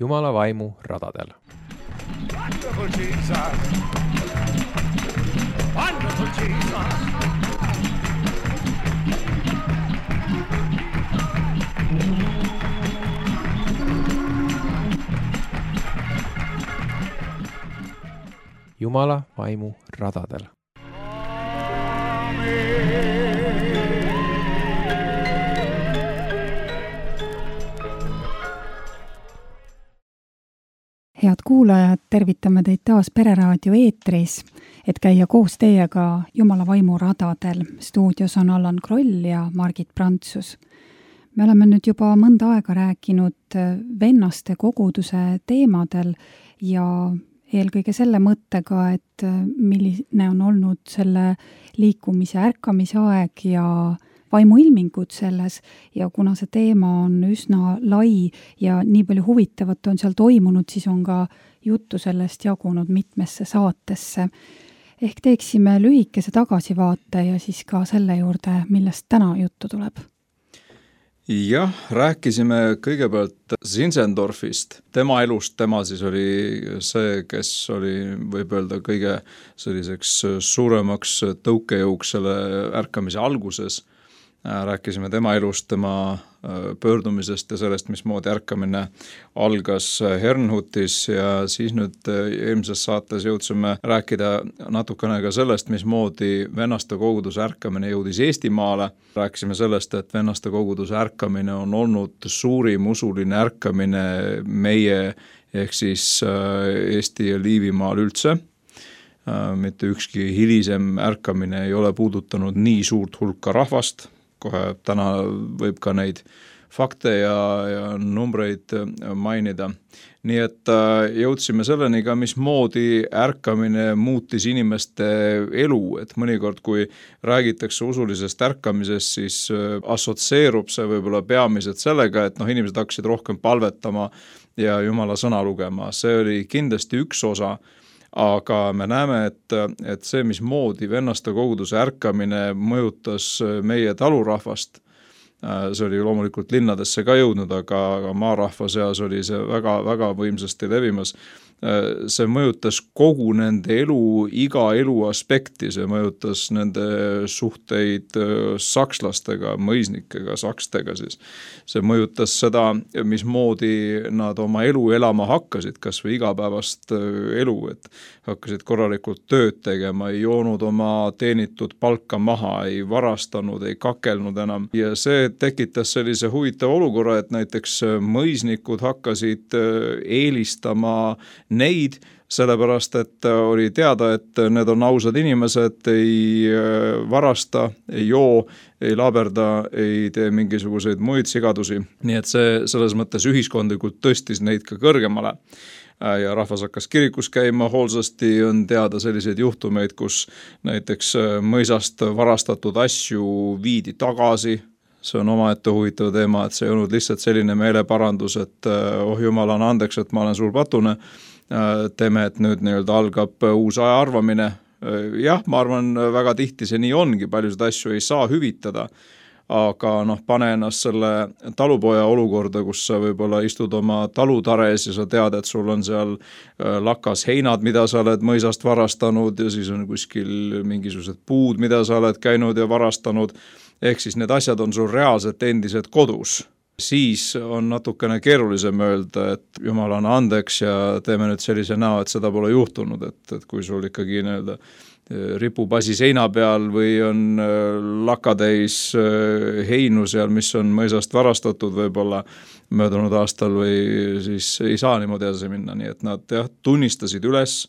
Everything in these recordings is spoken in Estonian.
Jumala vaimu radadel. Wonderful Jesus! Wonderful Jesus! Jumala vaimu radadel. Head kuulajad, tervitame teid taas Pereraadio eetris, et käia koos teiega Jumala vaimu radadel. Stuudios on Allan Kroll ja Margit Prantsus. Me oleme nüüd juba mõnda aega rääkinud vennaste koguduse teemadel ja eelkõige selle mõttega, et milline on olnud selle liikumise ärkamise aeg ja vaimuilmingud selles ja kuna see teema on üsna lai ja nii palju huvitavat on seal toimunud, siis on ka juttu sellest jagunud mitmesse saatesse. Ehk teeksime lühikese tagasivaate ja siis ka selle juurde, millest täna juttu tuleb. Jah, rääkisime kõigepealt Zinzendorfist. Tema elust, tema siis oli see, kes oli võib öelda kõige selliseks suuremaks tõukejõuks selle ärkamise alguses. Rääkisime tema elust, tema pöördumisest ja sellest, mismoodi ärkamine algas Herrnhutis ja siis nüüd eelmises saates jõudsime rääkida natukene ka sellest, mismoodi vennaste koguduse ärkamine jõudis Eestimaale. Rääkisime sellest, et vennaste koguduse ärkamine on olnud suurim usuline ärkamine meie ehk siis Eesti ja Liivimaal üldse. Mitte ükski hilisem ärkamine ei ole puudutanud nii suurt hulka rahvast. Kohe täna võib ka neid fakte ja numbreid mainida. Nii et jõudsime selleni ka, mismoodi ärkamine muutis inimeste elu, et mõnikord, kui räägitakse usulisest ärkamisest, siis assotseerub see võib-olla peamiselt sellega, et inimesed hakkasid rohkem palvetama ja Jumala sõna lugema. See oli kindlasti üks osa, aga me näeme, et see, mismoodi vennaste koguduse ärkamine mõjutas meie talurahvast, see oli loomulikult linnadesse ka jõudnud, aga maarahva seas oli see väga, väga võimsasti levimas. See mõjutas kogu nende elu, iga elu aspekti, see mõjutas nende suhteid sakslastega, mõisnikega, sakstega siis. See mõjutas seda, mismoodi nad oma elu elama hakkasid, kas või igapäevast elu, et hakkasid korralikult tööd tegema, ei joonud oma teenitud palka maha, ei varastanud, ei kakelnud enam. Ja see tekitas sellise huvitava olukorra, et näiteks mõisnikud hakkasid eelistama neid, sellepärast, et oli teada, et need on ausad inimesed, ei varasta, ei joo, ei laberda, ei tee mingisuguseid muid sigadusi. Nii et see selles mõttes ühiskondlikult tõstis neid ka kõrgemale. Ja rahvas hakkas kirikus käima, hoolsasti on teada selliseid juhtumeid, kus näiteks mõisast varastatud asju viidi tagasi. See on omaette huvitav teema, et see ei olnud lihtsalt selline meeleparandus, et Jumal on andeks, et ma olen suur patune. Teeme, et nüüd algab uus aja arvamine. Jah, ma arvan, väga tihti see nii ongi, paljusid asju ei saa hüvitada, aga pane ennast selle talupoja olukorda, kus sa võib-olla istud oma talutares ja sa tead, et sul on seal lakas heinad, mida sa oled mõisast varastanud ja siis on kuskil mingisugused puud, mida sa oled käinud ja varastanud, ehk siis need asjad on sul reaalselt endised kodus. Siis on natukene keerulisem öelda, et Jumal on andeks ja teeme nüüd sellise näo, et seda pole juhtunud, et kui sul ikkagi ripub asi seina peal või on lakatäis heinu seal, mis on mõisast varastatud võib-olla möödunud aastal või siis ei saa niimoodi edasi minna, nii et nad tunnistasid üles,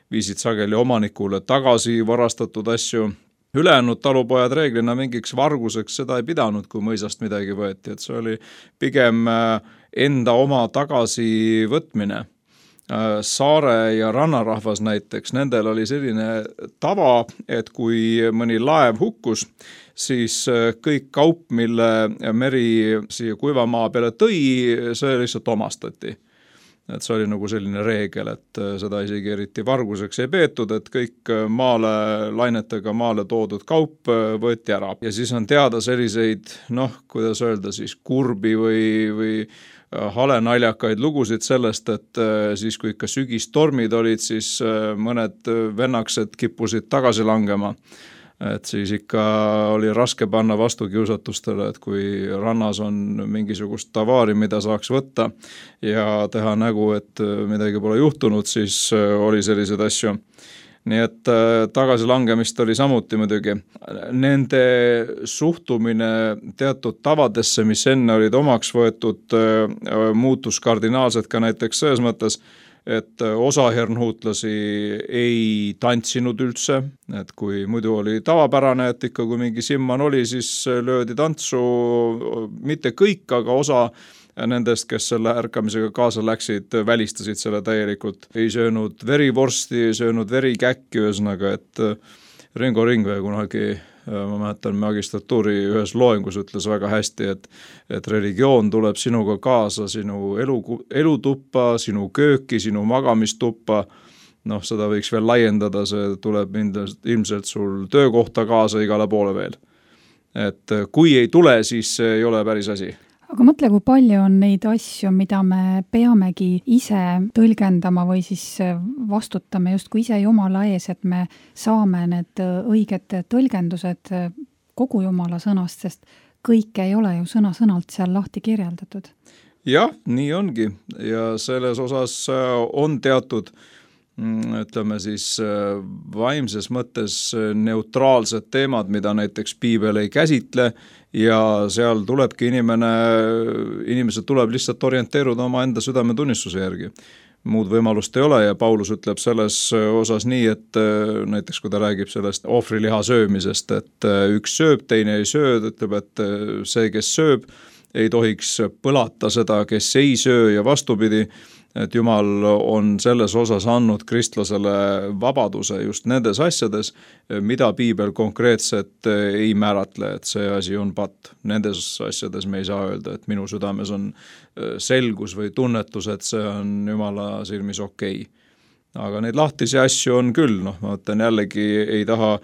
viisid sageli omanikule tagasi varastatud asju. Ülejäänud talupojad reeglina mingiks varguseks seda ei pidanud, kui mõisast midagi võeti, et see oli pigem enda oma tagasivõtmine. Saare ja rannarahvas näiteks, nendel oli selline tava, et kui mõni laev hukkus, siis kõik kaup, mille meri siia kuivamaa peale tõi, see lihtsalt omastati. Et see oli nagu selline reegel, et seda isegi eriti varguseks ei peetud, et kõik lainetega maale toodud kaup võeti ära. Ja siis on teada selliseid, kuidas öelda siis, kurbi või halenaljakaid lugusid sellest, et siis kui ikka sügistormid olid, siis mõned vennaksed kippusid tagasi langema. Et siis ikka oli raske panna vastu kiusatustele, et kui rannas on mingisugust tavaari, mida saaks võtta ja teha nägu, et midagi pole juhtunud, siis oli selliseid asju. Nii et tagasilangemist oli samuti muidugi. Nende suhtumine teatud tavadesse, mis enne olid omaks võetud, muutus kardinaalselt ka näiteks selles mõttes, et osa hernhuutlasi ei tantsinud üldse, et kui muidu oli tavapärane, et ikka kui mingi simman oli, siis löödi tantsu, mitte kõik, aga osa nendest, kes selle ärkamisega kaasa läksid, välistasid selle täielikult. Ei söönud verivorsti, ei söönud verikäkki, ühesõnaga, et Ringo Ringvee kunagi, ma mäletan, magistratuuri ühes loengus ütles väga hästi, et religioon tuleb sinuga kaasa, sinu elutuppa, sinu kööki, sinu magamistuppa, seda võiks veel laiendada, see tuleb ilmselt sul töökohta kaasa igale poole veel. Et kui ei tule, siis ei ole päris asi. Aga mõtle, kui palju on neid asju, mida me peamegi ise tõlgendama või siis vastutame justkui ise Jumala ees, et me saame need õiged tõlgendused kogu Jumala sõnast, sest kõik ei ole ju sõna-sõnalt seal lahti kirjeldatud. Jah, nii ongi ja selles osas on teatud, ütleme siis vaimses mõttes neutraalsed teemad, mida näiteks piibel ei käsitle ja seal tulebki inimesed tuleb lihtsalt orienteeruda oma enda südametunnistuse järgi. Muud võimalust ei ole ja Paulus ütleb selles osas nii, et näiteks kui ta räägib sellest ohvriliha söömisest, et üks sööb, teine ei söö, ütleb, et see, kes sööb, ei tohiks põlata seda, kes ei söö ja vastupidi, et Jumal on selles osas andnud kristlasele vabaduse just nendes asjades, mida piibel konkreetselt ei määratle, et see asi on patt. Nendes asjades me ei saa öelda, et minu südames on selgus või tunnetus, et see on Jumala silmis okei. Aga neid lahtisi asju on küll, ma mõtlen jällegi ei taha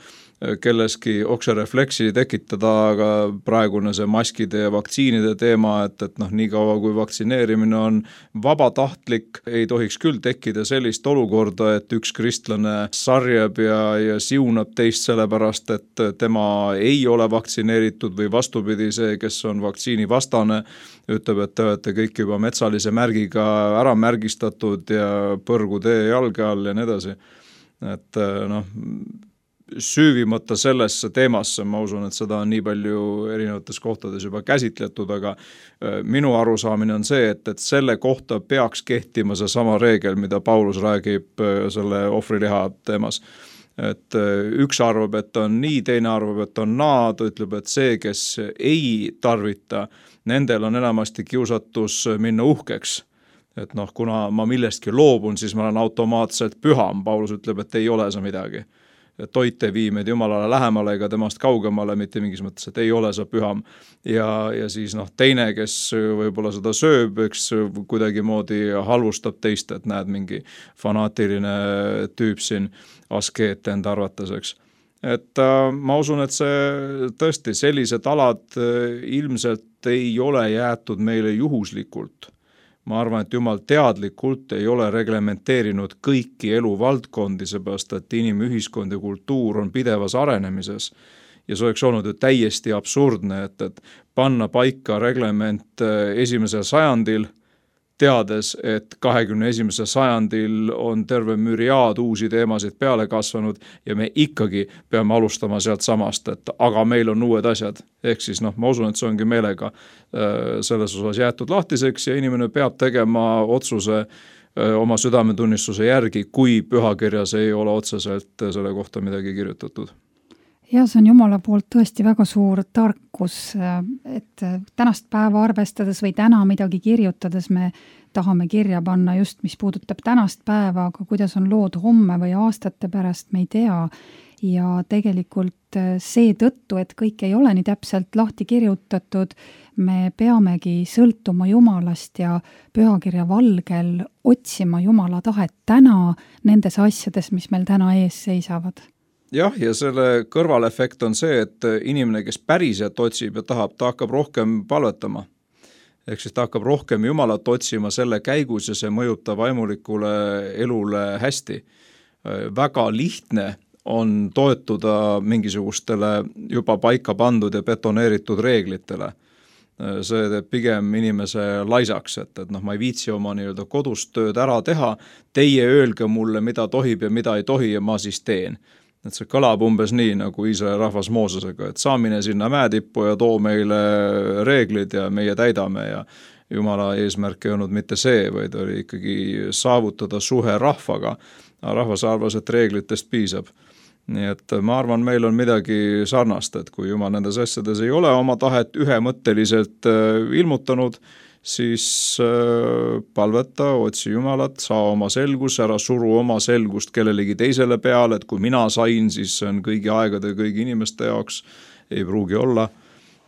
kelleski okserefleksi tekitada, aga praegune see maskide ja vaktsiinide teema, et nii kaua kui vaktsineerimine on vabatahtlik, ei tohiks küll tekkida sellist olukorda, et üks kristlane sarjab ja siunab teist sellepärast, et tema ei ole vaktsineeritud või vastupidi see, kes on vaktsiini vastane, ütleb, et te olete kõik juba metsalise märgiga ära märgistatud ja põrgu tee jalge all ja nii edasi. Et süüvimata sellesse teemasse, ma usun, et seda on nii palju erinevates kohtades juba käsitletud, aga minu arusaamine on see, et selle kohta peaks kehtima see sama reegel, mida Paulus räägib selle ohvriliha teemas. Et üks arvab, et on nii, teine arvab, et on naa, ta ütleb, et see, kes ei tarvita, nendel on enamasti kiusatus minna uhkeks. Et kuna ma millestki loobun, siis ma olen automaatselt püham. Paulus ütleb, et ei ole see midagi. Toit ei vii meid Jumalale lähemale ega temast kaugemale, mitte mingis mõttes, et ei ole sa püham. Ja siis teine, kes võib-olla seda sööb, eks kuidagi moodi halvustab teist, et näed mingi fanaatiline tüüp siin askeet enda arvates, Et ma usun, et see tõesti sellised alad ilmselt ei ole jäetud meile juhuslikult. Ma arvan, et Jumal teadlikult ei ole reglementeerinud kõiki eluvaldkondi, seepärast, et inimühiskond ja kultuur on pidevas arenemises. Ja see oleks olnud ju täiesti absurdne, et panna paika reglement 1. sajandil, teades, et 21. sajandil on terve müriaad uusi teemasid peale kasvanud ja me ikkagi peame alustama sealt samast, et aga meil on uued asjad. Ehk siis ma usun, et see ongi meelega selles osas jäetud lahtiseks ja inimene peab tegema otsuse oma südametunnistuse järgi, kui pühakirjas ei ole otseselt selle kohta midagi kirjutatud. Ja see on Jumala poolt tõesti väga suur tarkus, et tänast päeva arvestades või täna midagi kirjutades me tahame kirja panna just, mis puudutab tänast päeva, aga kuidas on lood homme või aastate pärast, me ei tea. Ja tegelikult see tõttu, et kõik ei ole nii täpselt lahti kirjutatud, me peamegi sõltuma Jumalast ja pühakirja valgel otsima Jumala tahet täna nendes asjades, mis meil täna ees seisavad. Jah, ja selle kõrvalefekt on see, et inimene, kes päriselt otsib ja tahab, ta hakkab rohkem palvetama. ehk siis ta hakkab rohkem Jumalat otsima selle käigus ja see mõjutab vaimulikule elule hästi. Väga lihtne on toetuda mingisugustele juba paika pandud ja betoneeritud reeglitele. See teeb pigem inimese laisaks, et ma ei viitsi oma nii-öelda kodust tööd ära teha, teie öelge mulle, mida tohib ja mida ei tohi ja ma siis teen. Et see kõlab umbes nii, nagu Iisraeli rahvas Moosesega, et saa mine sinna mäetippu ja too meile reeglid ja meie täidame ja Jumala eesmärk ei olnud mitte see, vaid oli ikkagi saavutada suhe rahvaga. Rahvas arvas, et reeglitest piisab. Nii et ma arvan, meil on midagi sarnast, et kui Jumal nendes asjades ei ole oma tahet ühemõtteliselt ilmutanud, siis palveta, otsi Jumalat, saa oma selgus, ära suru oma selgust kellelegi teisele peale, et kui mina sain, siis see on kõigi aegade kõigi inimeste jaoks, ei pruugi olla.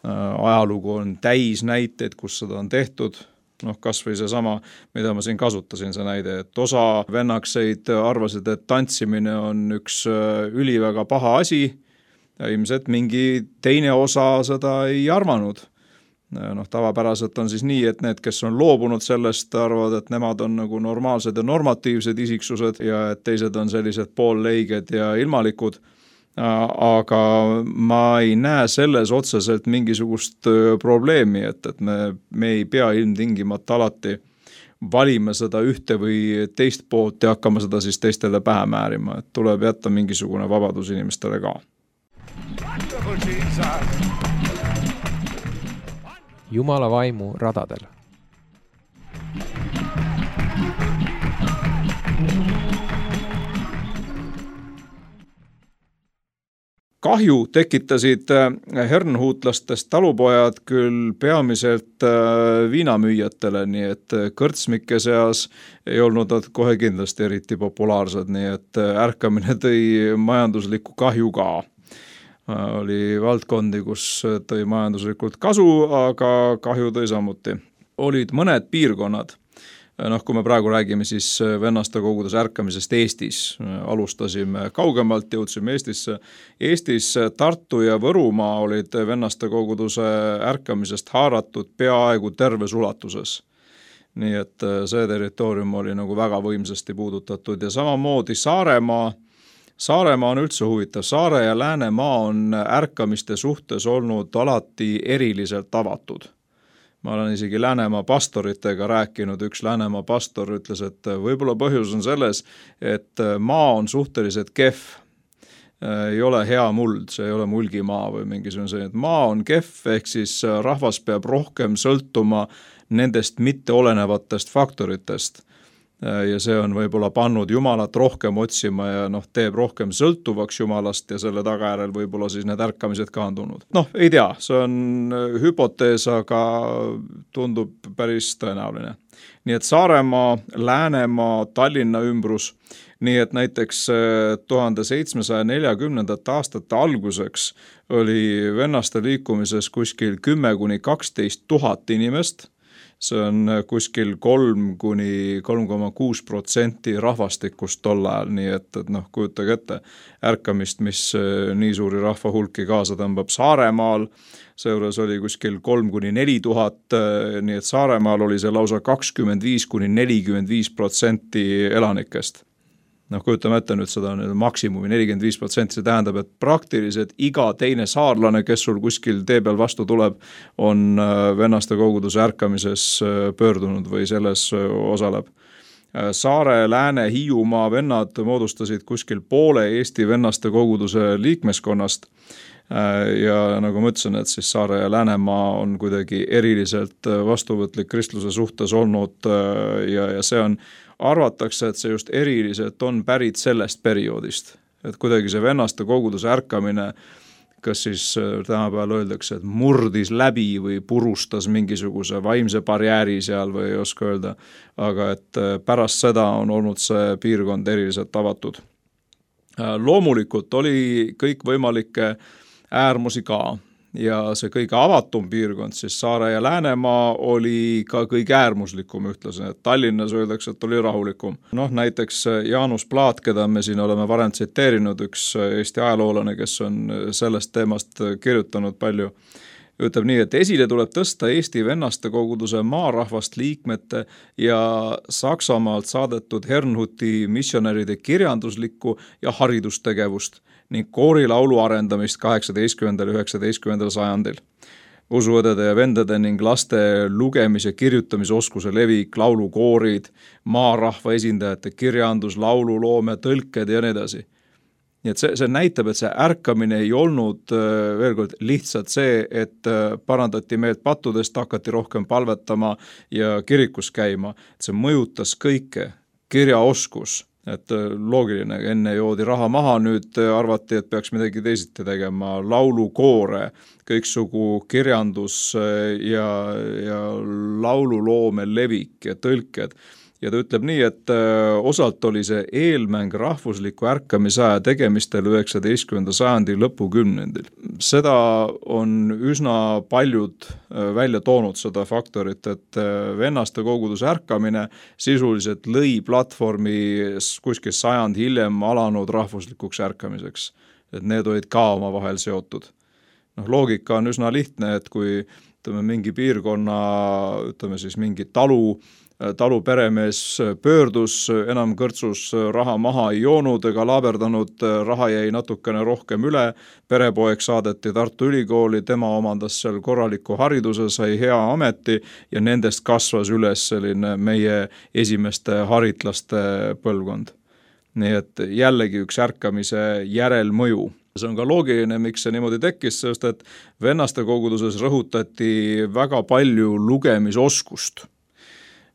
Ajalugu on täis näiteid, kus seda on tehtud. Kas või see sama, mida ma siin kasutasin, see näide, et osa vennakseid arvasid, et tantsimine on üks üliväga paha asi ja ilmselt mingi teine osa seda ei arvanud. Tavapäraselt on siis nii, et need, kes on loobunud sellest, arvavad, et nemad on nagu normaalsed ja normatiivsed isiksused ja et teised on sellised poolleiged ja ilmalikud. Aga ma ei näe selles otseselt mingisugust probleemi, et me ei pea ilmtingimata alati valima seda ühte või teist poolt ja hakkama seda siis teistele pähe määrima, et tuleb jätta mingisugune vabadus inimestele ka. Jumala vaimu radadel. Kahju tekitasid hernhuutlastest talupojad küll peamiselt viinamüüjatele, nii et kõrtsmike seas ei olnud nad kohe kindlasti eriti populaarsed, nii et ärkamine tõi majanduslikku kahju ka. Oli valdkondi, kus tõi majanduslikult kasu, aga kahju tõi samuti. Olid mõned piirkonnad. Kui me praegu räägime siis vennaste kogudes ärkamisest Eestis, alustasime kaugemalt, jõudsime Eestisse. Eestis Tartu ja Võrumaa olid vennaste koguduse ärkamisest haaratud peaaegu terves ulatuses. Nii et see territoorium oli nagu väga võimsasti puudutatud ja samamoodi Saaremaa. Saaremaa on üldse huvitav. Saare ja Läänemaa on ärkamiste suhtes olnud alati eriliselt avatud. Ma olen isegi Läänemaa pastoritega rääkinud, üks Läänemaa pastor ütles, et võib-olla põhjus on selles, et maa on suhteliselt kehv, ei ole hea muld, see ei ole mulgimaa või mingisugune selline, et maa on kehv, ehk siis rahvas peab rohkem sõltuma nendest mitteolenevatest faktoritest. Ja see on võib-olla pannud Jumalat rohkem otsima ja teeb rohkem sõltuvaks Jumalast ja selle tagajärjel võib-olla siis need ärkamised ka on tulnud. Ei tea, see on hüpotees, aga tundub päris tõenäoline. Nii et Saaremaa, Läänemaa, Tallinna ümbrus, nii et näiteks 1740. aastate alguseks oli vennaste liikumises kuskil 10–12 000 inimest. See on kuskil 3–3,6% rahvastikust tol ajal, nii et kujutage ette ärkamist, mis nii suuri rahva hulki kaasa tõmbab Saaremaal. Seejuures oli kuskil 3–4 000, nii et Saaremaal oli see lausa 25–45% elanikest. Kujutame ette nüüd seda maksimumi 45%, see tähendab, et praktiliselt iga teine saarlane, kes sul kuskil tee peal vastu tuleb, on vennaste koguduse ärkamises pöördunud või selles osaleb. Saare, Lääne, Hiiumaa vennad moodustasid kuskil poole Eesti vennaste koguduse liikmeskonnast ja nagu ma ütlesin, et siis Saare ja Läänemaa on kuidagi eriliselt vastuvõtlik kristluse suhtes olnud ja see on arvatakse, et see just eriliselt on pärit sellest perioodist, et kuidagi see vennaste koguduse ärkamine, kas siis tänapäeval öeldakse, et murdis läbi või purustas mingisuguse vaimse barjääri seal või ei oska öelda, aga et pärast seda on olnud see piirkond eriliselt avatud. Loomulikult oli kõik võimalikke äärmusi ka. Ja see kõige avatum piirkond, siis Saare ja Läänemaa oli ka kõige äärmuslikum ühtlase. Tallinnas öeldakse, et oli rahulikum. Näiteks Jaanus Plaat, keda me siin oleme varem tsiteerinud, üks Eesti ajaloolane, kes on sellest teemast kirjutanud palju, ütleb nii, et esile tuleb tõsta Eesti vennaste koguduse maarahvast liikmete ja Saksamaalt saadetud Herrnhuti missionäride kirjanduslikku ja haridustegevust ning koorilaulu arendamist 18. ja 19. sajandil. Usuõdede ja vendade ning laste lugemis- ja kirjutamisoskuse levik, laulukoorid, maarahva esindajate kirjandus, laululoome, tõlked ja nii edasi. Nii et see näitab, et see ärkamine ei olnud veel kord lihtsalt see, et parandati meelt pattudest, hakati rohkem palvetama ja kirikus käima. Et see mõjutas kõike, kirjaoskus, et loogiline, enne joodi raha maha, nüüd arvati, et peaks midagi teisiti tegema, laulukoore, kõiksugu kirjandus ja laululoome levik ja tõlked. Ja ta ütleb nii, et osalt oli see eelmäng rahvusliku ärkamisaja tegemistel 19. sajandi lõpukümnendil. Seda on üsna paljud välja toonud seda faktorit, et vennaste koguduse ärkamine sisuliselt lõi platvormi kuskil sajand hiljem alanud rahvuslikuks ärkamiseks. Et need olid ka oma vahel seotud. Loogika on üsna lihtne, et kui mingi piirkonna, siis mingi taluperemees pöördus, enam kõrtsus raha maha ei joonud ega laaberdanud, raha jäi natukene rohkem üle, perepoeg saadeti Tartu Ülikooli, tema omandas seal korraliku hariduse, sai hea ameti ja nendest kasvas üles selline meie esimeste haritlaste põlvkond. Nii et jällegi üks ärkamise järelmõju. See on ka loogiline, miks see niimoodi tekkis, sest et vennaste koguduses rõhutati väga palju lugemisoskust.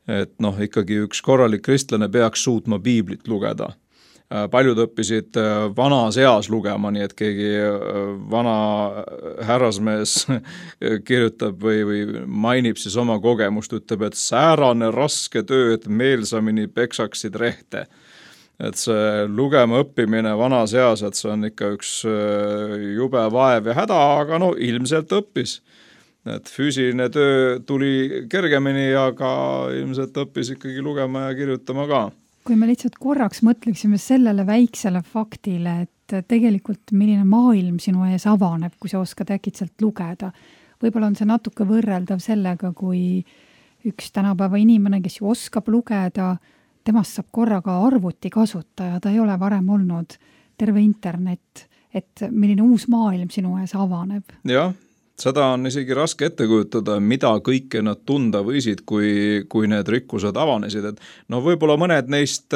Et ikkagi üks korralik kristlane peaks suutma piiblit lugeda. Paljud õppisid vanas eas lugema, nii et keegi vana härrasmees kirjutab või mainib siis oma kogemust, ütleb, et säärane raske töö, et meelsamini peksaksid rehte. Et see lugema õppimine vanas eas, et see on ikka üks jube vaev ja häda, aga ilmselt õppis. Et füüsiline töö tuli kergemini, aga ilmselt õppis ikkagi lugema ja kirjutama ka. Kui me lihtsalt korraks mõtleksime sellele väiksele faktile, et tegelikult milline maailm sinu ees avaneb, kui sa oskad äkitselt lugeda. Võib-olla on see natuke võrreldav sellega, kui üks tänapäeva inimene, kes ju oskab lugeda, temast saab korraga arvuti kasutaja, ta ei ole varem olnud terve internet, et milline uus maailm sinu ees avaneb. Jah, seda on isegi raske ette kujutada, mida kõike nad tunda võisid, kui need rikkused avanesid. Et võib-olla mõned neist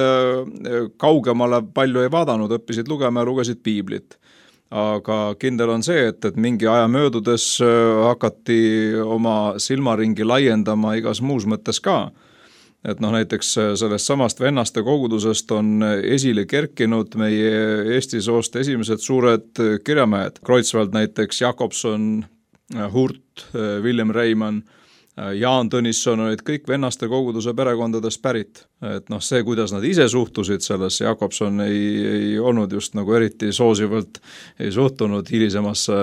kaugemale palju ei vaadanud, õppisid lugema ja lugesid piiblit. Aga kindel on see, et mingi aja möödudes hakati oma silmaringi laiendama igas muus mõttes ka. Et näiteks sellest samast vennaste kogudusest on esile kerkinud meie Eesti soost esimesed suured kirjamehed. Kreutzwald näiteks, Jakobson, Hurt, William Reimann, Jaan Tõnisson olid kõik vennaste koguduse perekondadest pärit. Et see, kuidas nad ise suhtusid sellesse, Jakobson ei olnud just nagu eriti soosivalt, ei suhtunud hilisemasse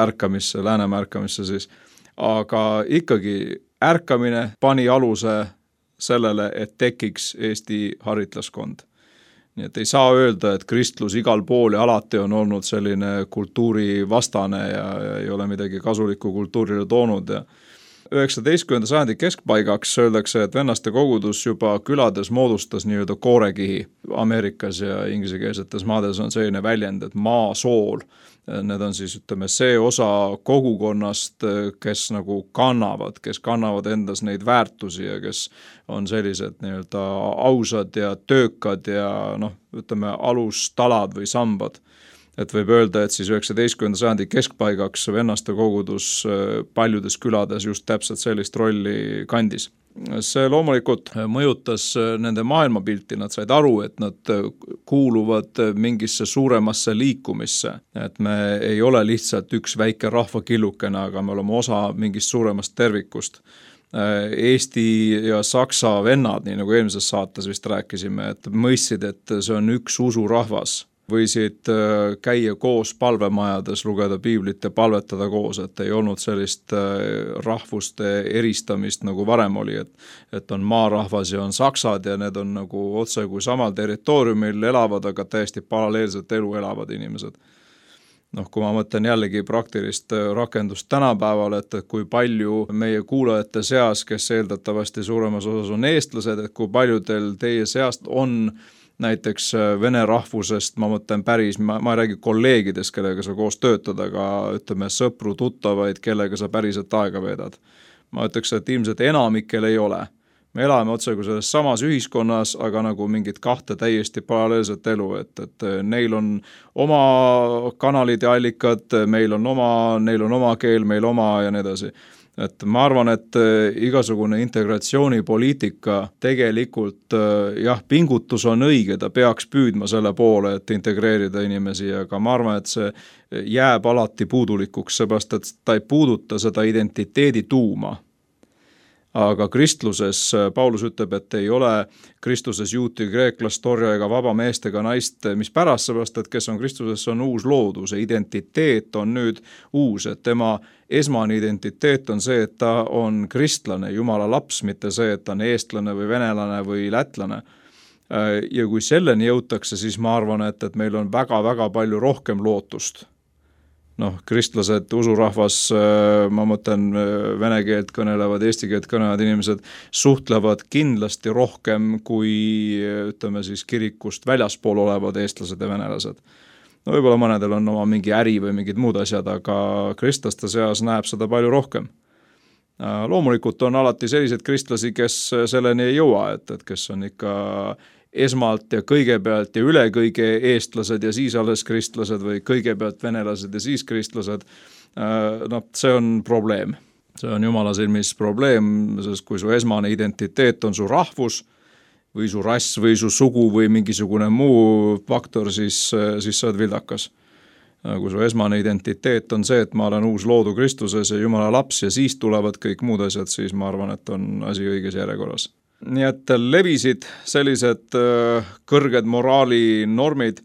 ärkamisse, Läänemaa ärkamisse siis. Aga ikkagi ärkamine pani aluse sellele, et tekiks Eesti haritlaskond. Nii et ei saa öelda, et kristlus igal pool ja alati on olnud selline kultuurivastane ja ei ole midagi kasulikku kultuurile toonud. 19. sajandi keskpaigaks öeldakse, et vennaste kogudus juba külades moodustas nii-öelda koorekihi. Ameerikas ja inglisekeelsetes maades on selline väljend, et maasool. Need on siis, see osa kogukonnast, kes nagu kannavad endas neid väärtusi ja kes on sellised nii-öelda ausad ja töökad ja alustalad või sambad. Et võib öelda, et siis 19. sajandi keskpaigaks vennaste kogudus paljudes külades just täpselt sellist rolli kandis. See loomulikult mõjutas nende maailmapilti, nad said aru, et nad kuuluvad mingisse suuremasse liikumisse, et me ei ole lihtsalt üks väike rahvakillukene, aga me oleme osa mingist suuremast tervikust. Eesti ja Saksa vennad, nii nagu eelmises saates vist rääkisime, et mõistsid, et see on üks usurahvas. Võisid käia koos palvemajades, lugeda piiblit ja palvetada koos, et ei olnud sellist rahvuste eristamist nagu varem oli, et on maarahvas ja on saksad ja need on nagu otse kui samal territooriumil elavad, aga täiesti paralleelselt elu elavad inimesed. kui ma mõtlen jällegi praktilist rakendust tänapäeval, et kui palju meie kuulajate seas, kes eeldatavasti suuremas osas on eestlased, et kui paljudel teie seast on näiteks vene rahvusest, ma mõtlen päris, ma ei räägi kolleegidest, kellega sa koos töötad, aga ütleme sõpru, tuttavaid, kellega sa päriselt aega veedad. Ma ütleks, et ilmselt enamikel ei ole. Me elame otsagu selles samas ühiskonnas, aga nagu mingid kahte täiesti paralleelset elu, et neil on oma kanalid ja allikad, neil on oma keel, meil oma ja nii edasi. Et ma arvan, et igasugune integratsioonipoliitika tegelikult pingutus on õige, ta peaks püüdma selle poole, et integreerida inimesi, aga ma arvan, et see jääb alati puudulikuks, seepärast, et ta ei puuduta seda identiteedi tuuma. Aga kristluses, Paulus ütleb, et ei ole kristluses juuti, kreeklast, torja ega vaba meest ega naist, mis pärast seepärast, et kes on kristluses, on uus loodus, identiteet on nüüd uus, et tema esmane identiteet on see, et ta on kristlane, Jumala laps, mitte see, et ta on eestlane või venelane või lätlane. Ja kui selleni jõutakse, siis ma arvan, et meil on väga-väga palju rohkem lootust. Kristlased, usurahvas, ma mõtlen vene keelt kõnelevad, eesti keelt kõnelevad inimesed suhtlevad kindlasti rohkem kui, ütleme siis, kirikust väljaspool olevad eestlased ja venelased. Võib-olla mõnedel on oma mingi äri või mingid muud asjad, aga kristlaste seas näeb seda palju rohkem. Loomulikult on alati sellised kristlasi, kes selleni ei jõua, et kes on ikka esmalt ja kõigepealt ja üle kõige eestlased ja siis alles kristlased või kõigepealt venelased ja siis kristlased, see on probleem. See on Jumala silmis probleem, sest kui su esmane identiteet on su rahvus või su rass või su sugu või mingisugune muu faktor, siis sa oled vildakas. Kui su esmane identiteet on see, et ma olen uus loodu Kristuses ja Jumala laps ja siis tulevad kõik muud asjad, siis ma arvan, et on asi õiges järjekorras. Nii et levisid sellised kõrged moraalinormid.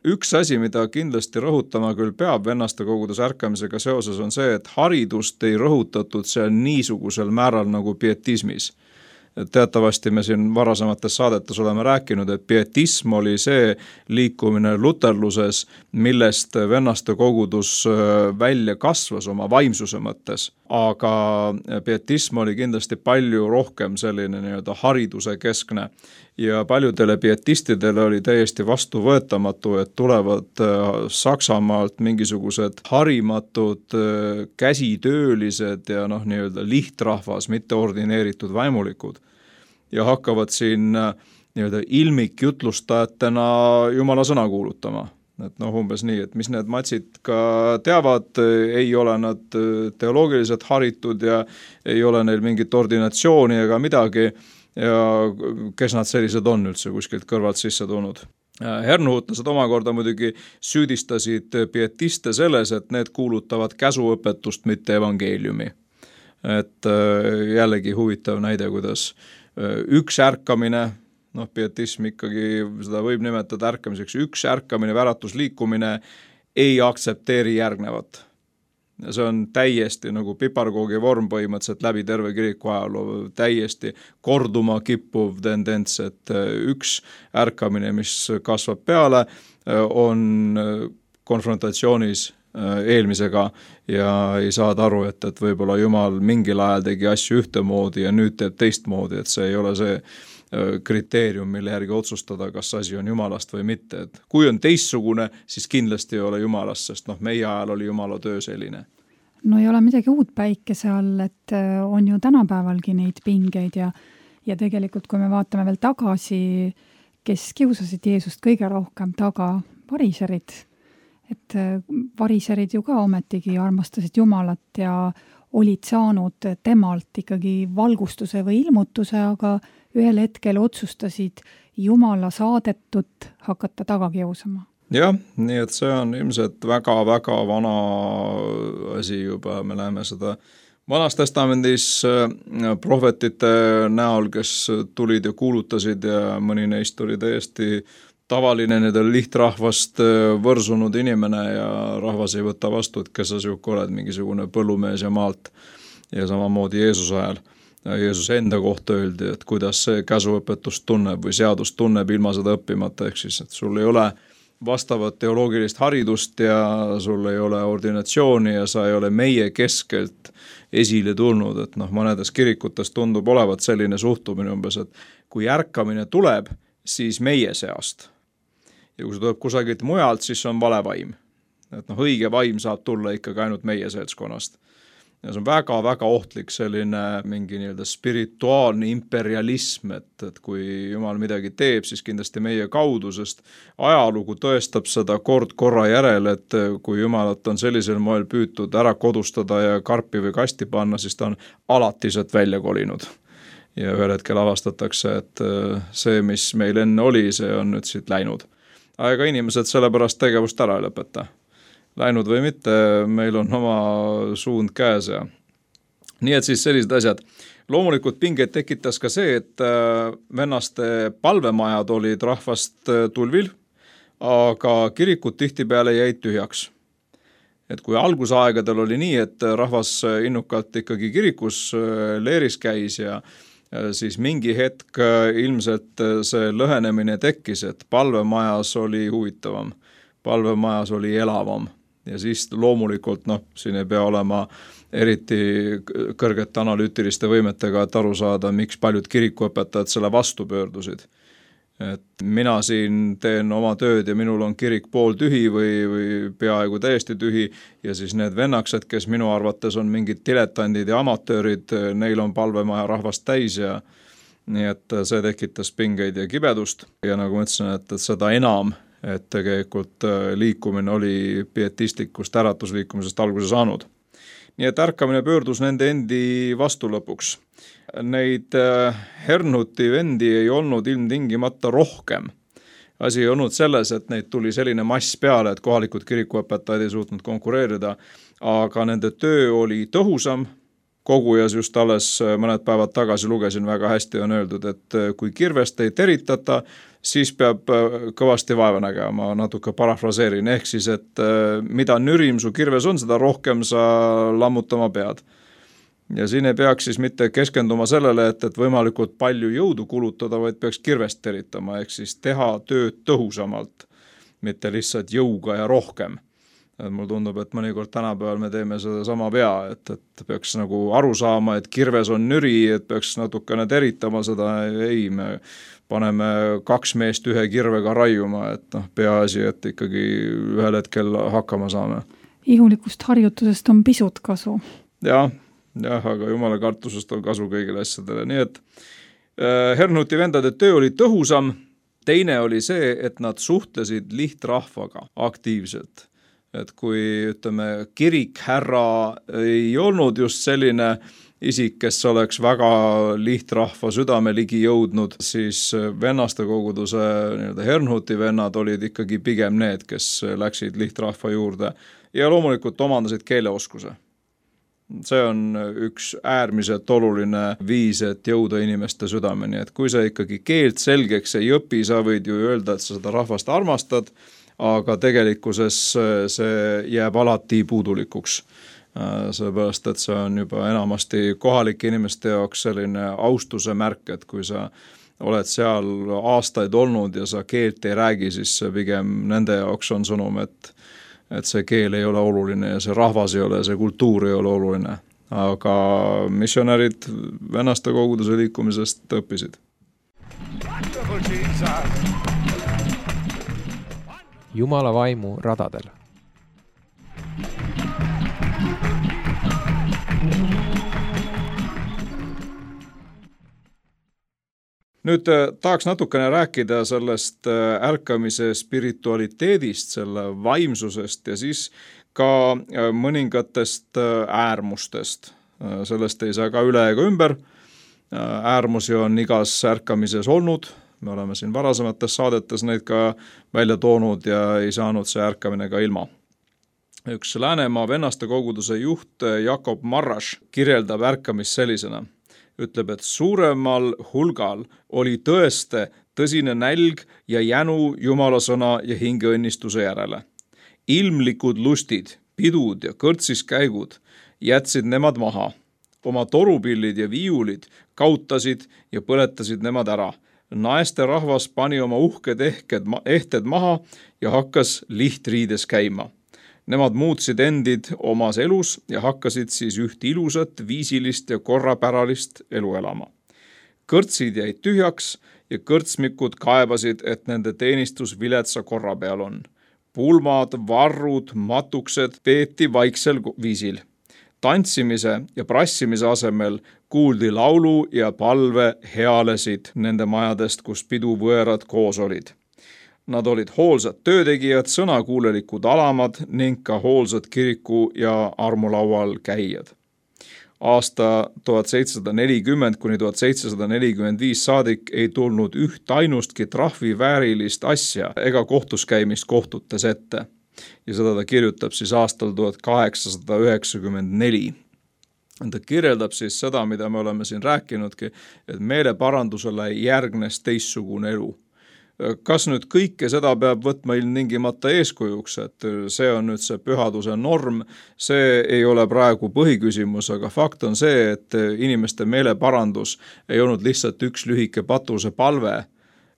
Üks asi, mida kindlasti rõhutama küll peab vennaste kogudes ärkamisega seoses, on see, et haridust ei rõhutatud seal niisugusel määral nagu pietismis. Teatavasti me siin varasemates saadetes oleme rääkinud, et pietism oli see liikumine luterluses, millest vennaste kogudus välja kasvas oma vaimsuse mõttes. Aga pietism oli kindlasti palju rohkem selline hariduse keskne ja paljudele pietistidele oli täiesti vastuvõetamatu, et tulevad Saksamaalt mingisugused harimatud käsitöölised ja lihtrahvas, mitte ordineeritud vaimulikud ja hakkavad siin ilmikjutlustajatena Jumala sõna kuulutama. Et umbes nii, et mis need matsid ka teavad, ei ole nad teoloogiliselt haritud ja ei ole neil mingit ordinatsiooni ega midagi ja kes nad sellised on üldse kuskilt kõrvalt sisse tulnud. Hernuhutlased omakorda muidugi süüdistasid pietiste selles, et need kuulutavad käsuõpetust, mitte evangeeliumi. Et jällegi huvitav näide, kuidas üks ärkamine, pietism ikkagi, seda võib nimetada ärkamiseks, üks ärkamine, väratusliikumine ei aktsepteeri järgnevat. Ja see on täiesti nagu piparkoogi vorm põhimõtteliselt läbi terve kiriku ajaloo, täiesti korduma kippuv tendents, et üks ärkamine, mis kasvab peale, on konfrontatsioonis eelmisega ja ei saada aru, et võib-olla Jumal mingil ajal tegi asju ühtemoodi ja nüüd teeb teistmoodi, et see ei ole see kriteerium, mille järgi otsustada, kas asi on Jumalast või mitte. Et kui on teistsugune, siis kindlasti ei ole Jumalast, sest meie ajal oli Jumala töö selline. No ei ole midagi uut päikese all, et on ju tänapäevalgi neid pingeid ja tegelikult, kui me vaatame veel tagasi, kes kiusasid Jeesust kõige rohkem taga, variserid. Et variserid ju ka ometigi armastasid Jumalat ja olid saanud temalt ikkagi valgustuse või ilmutuse, aga ühel hetkel otsustasid Jumala saadetut hakata taga kiusama. Jah, nii et see on ilmselt väga-väga vana asi juba, me näeme seda Vanas testamendis prohvetite näol, kes tulid ja kuulutasid ja mõni neist oli täiesti tavaline nendel lihtrahvast võrsunud inimene ja rahvas ei võta vastu, et kes sa siuke oled, mingisugune põllumees ja maalt ja samamoodi Jeesuse ajal. Jeesus enda kohta öeldi, et kuidas see käsuõpetust tunneb või seadust tunneb ilma seda õppimata, ehk siis, et sul ei ole vastavat teoloogilist haridust ja sul ei ole ordinatsiooni ja sa ei ole meie keskelt esile tulnud, et mõnedes kirikutes tundub olevat selline suhtumine umbes, et kui ärkamine tuleb, siis meie seast. Ja kui see tuleb kusagilt mujalt, siis see on vale vaim. Et õige vaim saab tulla ikkagi ainult meie seltskonnast. Ja see on väga-väga ohtlik selline mingi spirituaalne imperialism, et kui Jumal midagi teeb, siis kindlasti meie kaudu, sest ajalugu tõestab seda korra järel, et kui Jumalat on sellisel moel püütud ära kodustada ja karpi või kasti panna, siis ta on alati sealt välja kolinud. Ja ühel hetkel avastatakse, et see, mis meil enne oli, see on nüüd siit läinud. Aga inimesed sellepärast tegevust ära ei lõpeta. Läinud või mitte, meil on oma suund käes ja nii et siis sellised asjad. Loomulikult pingeid tekitas ka see, et vennaste palvemajad olid rahvast tulvil, aga kirikud tihtipeale jäid tühjaks. Et kui algusaegadel oli nii, et rahvas innukalt ikkagi kirikus leeris käis ja siis mingi hetk ilmselt see lõhenemine tekkis, et palvemajas oli huvitavam, palvemajas oli elavam. Ja siis loomulikult, siin ei pea olema eriti kõrgete analüütiliste võimetega, et aru saada, miks paljud kirikuõpetajad selle vastu pöördusid. Et mina siin teen oma tööd ja minul on kirik pool tühi või peaaegu täiesti tühi ja siis need vennaksed, kes minu arvates on mingid diletandid ja amatöörid, neil on palvemaja rahvast täis ja nii et see tekitas pingeid ja kibedust ja nagu ma ütlesin, et seda enam, et tegelikult liikumine oli pietistlikust äratusliikumisest alguse saanud. Nii et ärkamine pöördus nende endi vastu lõpuks. Neid Hernhuti vendi ei olnud ilmtingimata rohkem. Asi ei olnud selles, et neid tuli selline mass peale, et kohalikud kirikuõpetajad ei suutnud konkureerida, aga nende töö oli tõhusam. Kogujas just alles mõned päevad tagasi lugesin väga hästi on öeldud, et kui kirvest ei teritata, siis peab kõvasti vaeva nägema, ma natuke parafraseerin, ehk siis, et mida nürim su kirves on, seda rohkem sa lammutama pead. Ja siin ei peaks siis mitte keskenduma sellele, et võimalikult palju jõudu kulutada, vaid peaks kirvest teritama, ehk siis teha tööd tõhusamalt, mitte lihtsalt jõuga ja rohkem. Et mul tundub, et mõnikord tänapäeval me teeme seda sama vea, et peaks nagu aru saama, et kirves on nüri, et peaks natukene teritama seda, ei, me paneme 2 meest ühe kirvega raiuma, et peaasi, et ikkagi ühel hetkel hakkama saame. Ihulikust harjutusest on pisut kasu. Jah, aga Jumala kartusest on kasu kõigile asjadele, nii et Hernhuti vendade töö oli tõhusam, teine oli see, et nad suhtlesid lihtrahvaga aktiivselt. Et kui ütleme, kirikhärra ei olnud just selline isik, kes oleks väga lihtrahva südame ligi jõudnud, siis vennaste koguduse Hernhuti vennad olid ikkagi pigem need, kes läksid lihtrahva juurde ja loomulikult omandasid keeleoskuse. See on üks äärmiselt oluline viis, et jõuda inimeste südameni, et kui sa ikkagi keelt selgeks ei õpi, sa võid ju öelda, et sa seda rahvast armastad, aga tegelikkuses see jääb alati puudulikuks. Sellepärast, et see on juba enamasti kohalike inimeste jaoks selline austuse märk, et kui sa oled seal aastaid olnud ja sa keelt ei räägi, siis pigem nende jaoks on sõnum, et see keel ei ole oluline ja see rahvas ei ole, see kultuur ei ole oluline. Aga missionärid vennaste koguduse liikumisest õppisid. Jumala vaimu radadel. Nüüd tahaks natukene rääkida sellest ärkamise spiritualiteedist, selle vaimsusest ja siis ka mõningatest äärmustest. Sellest ei saa ka üle ega ümber. Äärmusi on igas ärkamises olnud. Me oleme siin varasemates saadetes neid ka välja toonud ja ei saanud see ärkamine ka ilma. Üks Läänemaa vennaste koguduse juht Jakob Marraš kirjeldab ärkamist sellisena. Ütleb, et suuremal hulgal oli tõeste tõsine nälg ja jänu Jumala sõna ja hingeõnnistuse järele. Ilmlikud lustid, pidud ja kõrtsis käigud jätsid nemad maha. Oma torupillid ja viiulid kautasid ja põletasid nemad ära. naeste rahvas pani oma uhked ehted maha ja hakkas lihtriides käima. Nemad muutsid endid omas elus ja hakkasid siis üht ilusat, viisilist ja korrapäralist elu elama. Kõrtsid jäid tühjaks ja kõrtsmikud kaebasid, et nende teenistus viletsa korra peal on. Pulmad, varrud, matuksed peeti vaiksel viisil. Tantsimise ja prassimise asemel kuuldi laulu ja palve healesid nende majadest, kus piduvõõrad koos olid. Nad olid hoolsad töötegijad, sõnakuulelikud alamad ning ka hoolsad kiriku ja armulaual käijad. Aasta 1740 kuni 1745 saadik ei tulnud üht ainustki trahviväärilist asja ega kohtuskäimist kohtutes ette. Ja seda ta kirjutab siis aastal 1894. Ta kirjeldab siis seda, mida me oleme siin rääkinudki, et meeleparandusele järgnes teistsugune elu. Kas nüüd kõike seda peab võtma ilmtingimata eeskujuks, et see on nüüd see pühaduse norm, see ei ole praegu põhiküsimus, aga fakt on see, et inimeste meeleparandus ei olnud lihtsalt üks lühike patuse palve,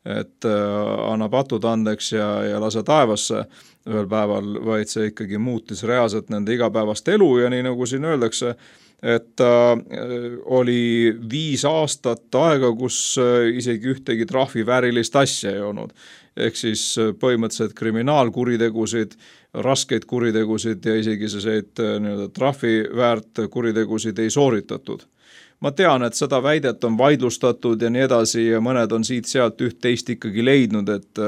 et anna patud andeks ja lase taevasse ühel päeval, vaid see ikkagi muutis reaalselt nende igapäevast elu ja nii nagu siin öeldakse, et oli 5 aastat aega, kus isegi ühtegi trahviväärilist asja ei olnud. Ehk siis põhimõtteliselt kriminaalkuritegusid, raskeid kuritegusid ja isegi selliseid trahviväärt kuritegusid ei sooritatud. Ma tean, et seda väidet on vaidlustatud ja nii edasi ja mõned on siit-sealt üht-teist ikkagi leidnud, et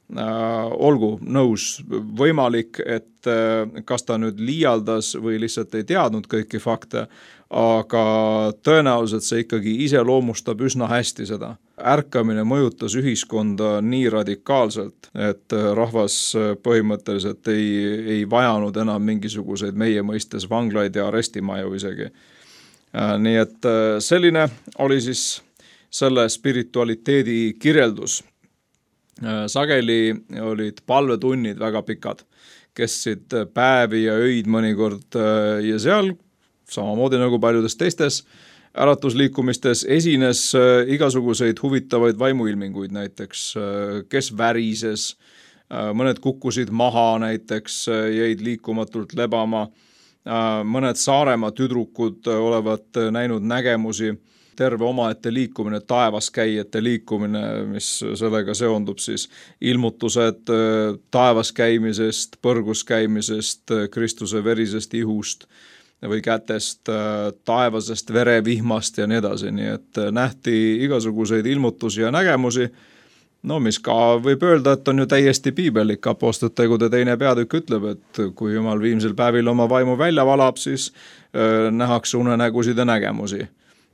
olgu nõus võimalik, et kas ta nüüd liialdas või lihtsalt ei teadnud kõiki fakte, aga tõenäoliselt see ikkagi iseloomustab üsna hästi seda. Ärkamine mõjutas ühiskonda nii radikaalselt, et rahvas põhimõtteliselt ei vajanud enam mingisuguseid meie mõistes vanglaid ja arestimaju isegi. Nii et selline oli siis selle spiritualiteedi kirjeldus. Sageli olid palvetunnid väga pikad, kestsid päevi ja öid mõnikord ja seal, samamoodi nagu paljudes teistes äratusliikumistes, esines igasuguseid huvitavaid vaimuilminguid, näiteks kes värises, mõned kukkusid maha näiteks, jäid liikumatult lebama, mõned Saaremaa tüdrukud olevat näinud nägemusi, terve omaette liikumine, taevaskäijate liikumine, mis sellega seondub siis ilmutused taevaskäimisest, põrguskäimisest, Kristuse verisest ihust või kätest, taevasest verevihmast ja nii edasi, nii et nähti igasuguseid ilmutusi ja nägemusi, no mis ka võib öelda, et on ju täiesti piibellik. Apostlite tegude 2. peatükk ütleb, et kui Jumal viimsel päevil oma vaimu välja valab, siis nähakse unenägusid ja nägemusi.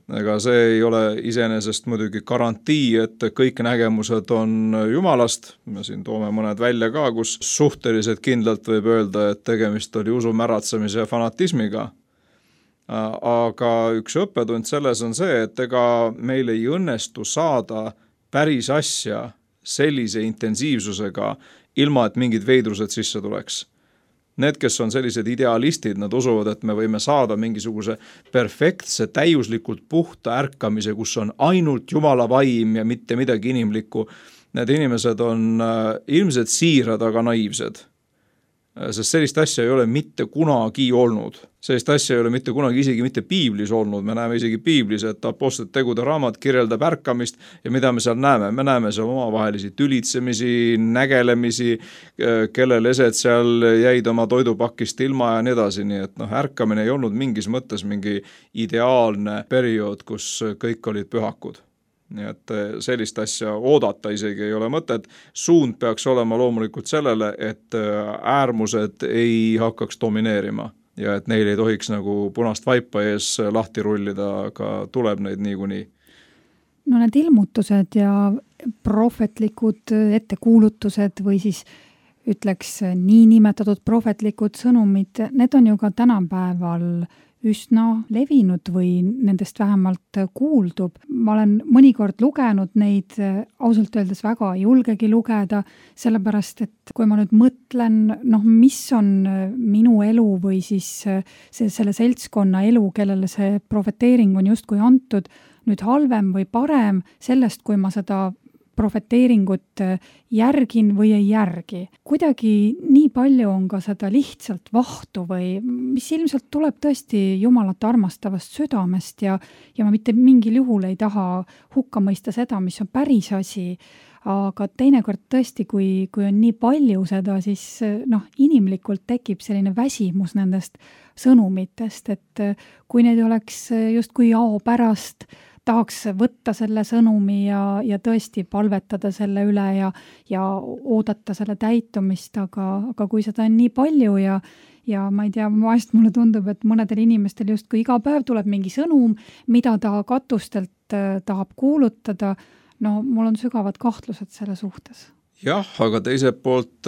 Ega see ei ole iseenesest muidugi garantii, et kõik nägemused on Jumalast. Me siin toome mõned välja ka, kus suhteliselt kindlalt võib öelda, et tegemist oli usu märatsemise ja fanatismiga. Aga üks õppetund selles on see, et ega meil ei õnnestu saada päris asja sellise intensiivsusega, ilma et mingid veidrused sisse tuleks. Need, kes on sellised idealistid, nad usuvad, et me võime saada mingisuguse perfektse, täiuslikult puhta ärkamise, kus on ainult Jumala vaim ja mitte midagi inimlikku. Need inimesed on ilmselt siirad, aga naiivsed. Sest sellist asja ei ole mitte kunagi olnud. Sellist asja ei ole mitte kunagi isegi mitte piiblis olnud. Me näeme isegi piiblis, et Apostlite tegude raamat kirjeldab ärkamist ja mida me seal näeme? Me näeme seal omavahelisi tülitsemisi, nägelemisi, kellel esed seal jäid oma toidupakist ilma ja nii edasi. Nii et ärkamine ei olnud mingis mõttes mingi ideaalne periood, kus kõik olid pühakud. Nii et sellist asja oodata isegi ei ole mõtet. Suund peaks olema loomulikult sellele, et äärmused ei hakkaks domineerima ja et neil ei tohiks nagu punast vaipa ees lahti rullida, aga tuleb neid niikuinii. No need ilmutused ja prohvetlikud ettekuulutused või siis ütleks nii nimetatud prohvetlikud sõnumid, need on ju ka tänapäeval üsna levinud või nendest vähemalt kuuldub. Ma olen mõnikord lugenud neid, ausalt öeldes väga ei julgegi lugeda, sellepärast, et kui ma nüüd mõtlen, mis on minu elu või siis selle seltskonna elu, kellele see profeteering on justkui antud, nüüd halvem või parem sellest, kui ma seda prohveteeringut järgin või ei järgi. Kuidagi nii palju on ka seda lihtsalt vahtu või mis ilmselt tuleb tõesti Jumalat armastavast südamest ja ma mitte mingil juhul ei taha hukka mõista seda, mis on päris asi, aga teinekord tõesti, kui on nii palju seda, siis inimlikult tekib selline väsimus nendest sõnumitest, et kui need oleks justkui jao pärast, tahaks võtta selle sõnumi ja tõesti palvetada selle üle ja oodata selle täitumist, aga kui seda on nii palju ja ma ei tea, vahest mulle tundub, et mõnedel inimestel justkui iga päev tuleb mingi sõnum, mida ta katustelt tahab kuulutada, mul on sügavad kahtlused selle suhtes. Jah, aga teiselt poolt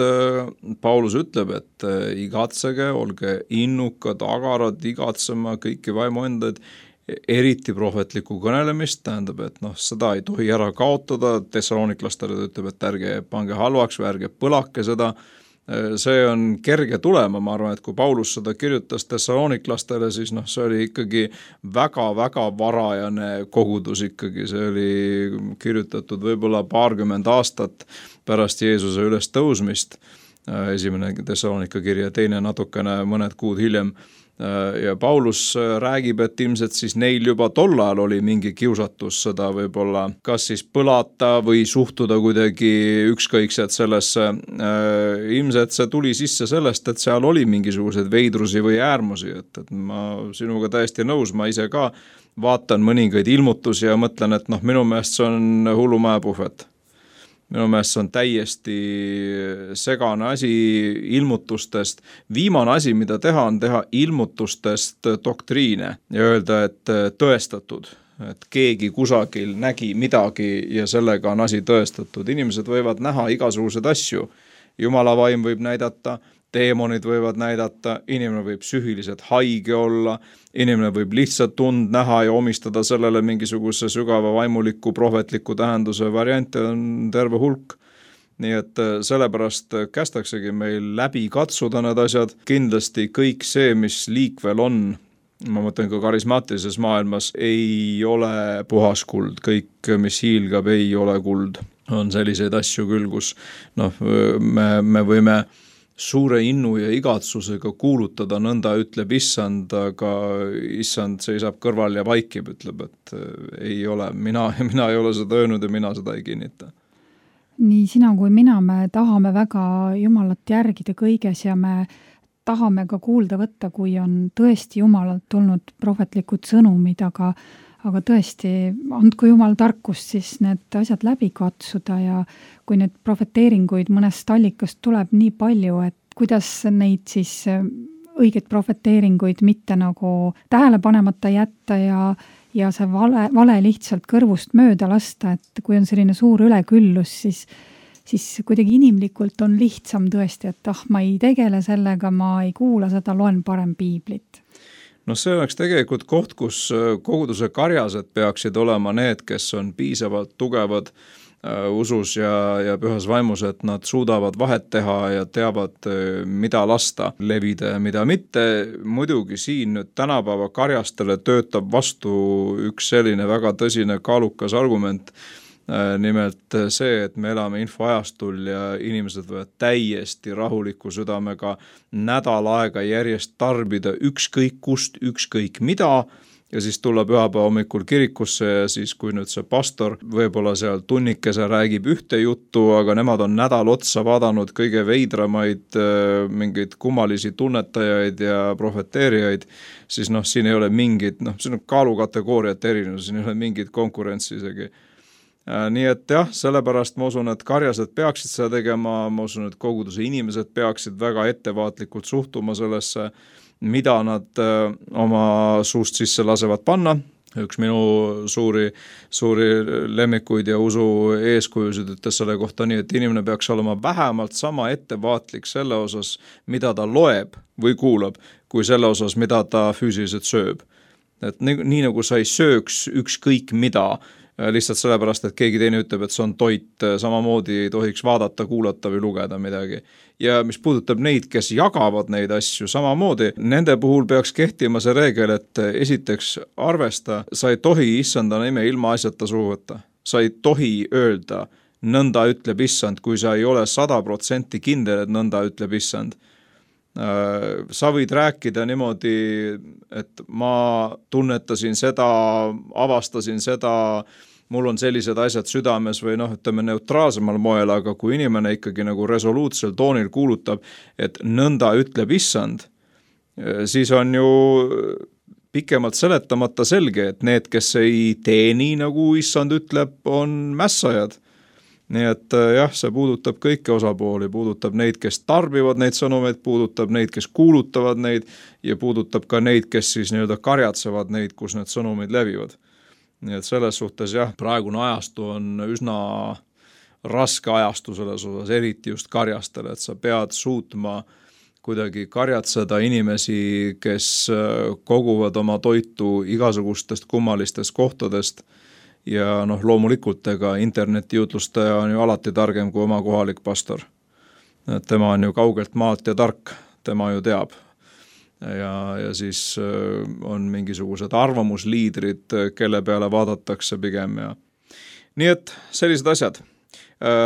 Paulus ütleb, et igatsege, olge innukad, agarad, igatsema kõiki vaimuendaid, eriti prohvetlikku kõnelemist, tähendab, et seda ei tohi ära kaotada, Thessaloniklastele ütleb, et ärge pange halvaks või ärge põlake seda, see on kerge tulema, ma arvan, et kui Paulus seda kirjutas Thessaloniklastele, siis see oli ikkagi väga-väga varajane kogudus ikkagi, see oli kirjutatud võib-olla 20 aastat pärast Jeesuse üles tõusmist, esimene Thessalonika kirja, teine natukene mõned kuud hiljem, ja Paulus räägib, et ilmselt siis neil juba tol ajal oli mingi kiusatus seda võib-olla kas siis põlata või suhtuda kuidagi ükskõikselt sellesse. Ilmselt see tuli sisse sellest, et seal oli mingisuguseid veidrusi või äärmusi, et ma sinuga täiesti nõus, ma ise ka vaatan mõningaid ilmutusi ja mõtlen, et minu meelest see on hullumäepuhvet. Minu meelest see on täiesti segane asi ilmutustest. Viimane asi, mida teha, on teha ilmutustest doktriine ja öelda, et tõestatud, et keegi kusagil nägi midagi ja sellega on asi tõestatud. Inimesed võivad näha igasugused asju. Jumala vaim võib näidata, teemonid võivad näidata, inimene võib psüühiliselt haige olla, inimene võib lihtsalt tund näha ja omistada sellele mingisuguse sügava vaimuliku, prohvetliku tähenduse variante on terve hulk. Nii et sellepärast kästaksegi meil läbi katsuda need asjad. Kindlasti kõik see, mis liikvel on, ma mõtlen ka karismaatilises maailmas, ei ole puhas kuld. Kõik, mis hiilgab, ei ole kuld. On selliseid asju küll, kus me võime suure innu ja igatsusega kuulutada, nõnda ütleb issand, aga issand seisab kõrval ja vaikib, ütleb, et ei ole, mina ei ole seda öelnud ja mina seda ei kinnita. Nii sina kui mina, me tahame väga Jumalat järgida kõiges ja me tahame ka kuulda võtta, kui on tõesti Jumalalt tulnud prohvetlikud sõnumid, aga tõesti, andku Jumal tarkust siis need asjad läbi katsuda ja kui need prohveteeringuid mõnest allikast tuleb nii palju, et kuidas neid siis õigeid prohveteeringuid mitte nagu tähele panemata jätta ja see vale lihtsalt kõrvust mööda lasta, et kui on selline suur üleküllus, siis kuidagi inimlikult on lihtsam tõesti, et ma ei tegele sellega, ma ei kuula seda, loen parem piiblit. See oleks tegelikult koht, kus koguduse karjased peaksid olema need, kes on piisavalt tugevad usus ja pühas vaimus, et nad suudavad vahet teha ja teavad, mida lasta levida ja mida mitte. Muidugi siin nüüd tänapäeva karjastele töötab vastu üks selline väga tõsine kaalukas argument, nimelt see, et me elame infoajastul ja inimesed võivad täiesti rahuliku südamega nädal aega järjest tarbida ükskõik kust, ükskõik mida ja siis tulla pühapäeva hommikul kirikusse ja siis, kui nüüd see pastor võib-olla seal tunnikese räägib ühte juttu, aga nemad on nädal otsa vaadanud kõige veidramaid mingeid kummalisi tunnetajaid ja prohveteerijaid, siis siin ei ole mingit, siin on kaalukategooriat erinevus, siin ei ole mingit konkurentsi isegi. Nii et jah, sellepärast ma usun, et karjased peaksid seda tegema, ma usun, et koguduse inimesed peaksid väga ettevaatlikult suhtuma sellesse, mida nad oma suust sisse lasevad panna. Üks minu suuri lemmikuid ja usu eeskujusid ütles selle kohta nii, et inimene peaks olema vähemalt sama ettevaatlik selle osas, mida ta loeb või kuulab, kui selle osas, mida ta füüsiliselt sööb. Et nii nagu sa ei sööks ükskõik mida, lihtsalt sellepärast, et keegi teine ütleb, et see on toit, samamoodi ei tohiks vaadata, kuulata või lugeda midagi. Ja mis puudutab neid, kes jagavad neid asju samamoodi, nende puhul peaks kehtima see reegel, et esiteks arvesta, sa ei tohi issanda nime ilma asjata suhu võtta. Sa ei tohi öelda nõnda ütleb issand, kui sa ei ole 100% kindel, et nõnda ütleb issand. Sa võid rääkida niimoodi, et ma tunnetasin seda, avastasin seda, mul on sellised asjad südames või ütleme neutraalsemal moel, aga kui inimene ikkagi nagu resoluutsel toonil kuulutab, et nõnda ütleb issand, siis on ju pikemalt seletamata selge, et need, kes ei tee nii, nagu issand ütleb, on mässajad. Nii et jah, see puudutab kõiki osapooli, puudutab neid, kes tarbivad neid sõnumeid, puudutab neid, kes kuulutavad neid ja puudutab ka neid, kes siis nii-öelda karjatsevad neid, kus need sõnumid levivad. Nii et selles suhtes jah, praegune ajastu on üsna raske ajastu selles osas, eriti just karjastele, et sa pead suutma kuidagi karjatseda inimesi, kes koguvad oma toitu igasugustest kummalistest kohtadest ja loomulikult ega internetijutlustaja on ju alati targem kui oma kohalik pastor. Tema on ju kaugelt maalt ja tark, tema ju teab. Ja siis on mingisugused arvamusliidrid, kelle peale vaadatakse pigem. Ja. Nii et sellised asjad.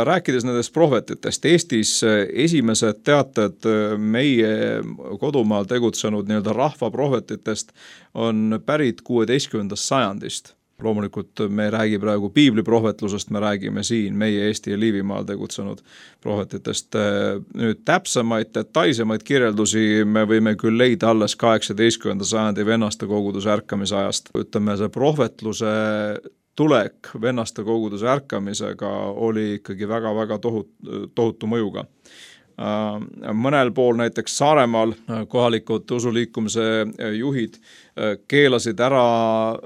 Rääkides nendest prohvetitest, Eestis esimesed teated meie kodumaal tegutsenud nii-öelda rahva prohvetitest on pärit 16. sajandist. Loomulikult me ei räägi praegu piibliprohvetlusest, me räägime siin meie Eesti ja Liivimaal tegutsenud prohvetitest. Nüüd täpsemaid, detailsemaid kirjeldusi me võime küll leida alles 18. sajandi vennaste koguduse ärkamise ajast. Ütleme, see prohvetluse tulek vennaste koguduse ärkamisega oli ikkagi väga-väga tohutu mõjuga. Mõnel pool näiteks Saaremaal kohalikud usuliikumise juhid keelasid ära,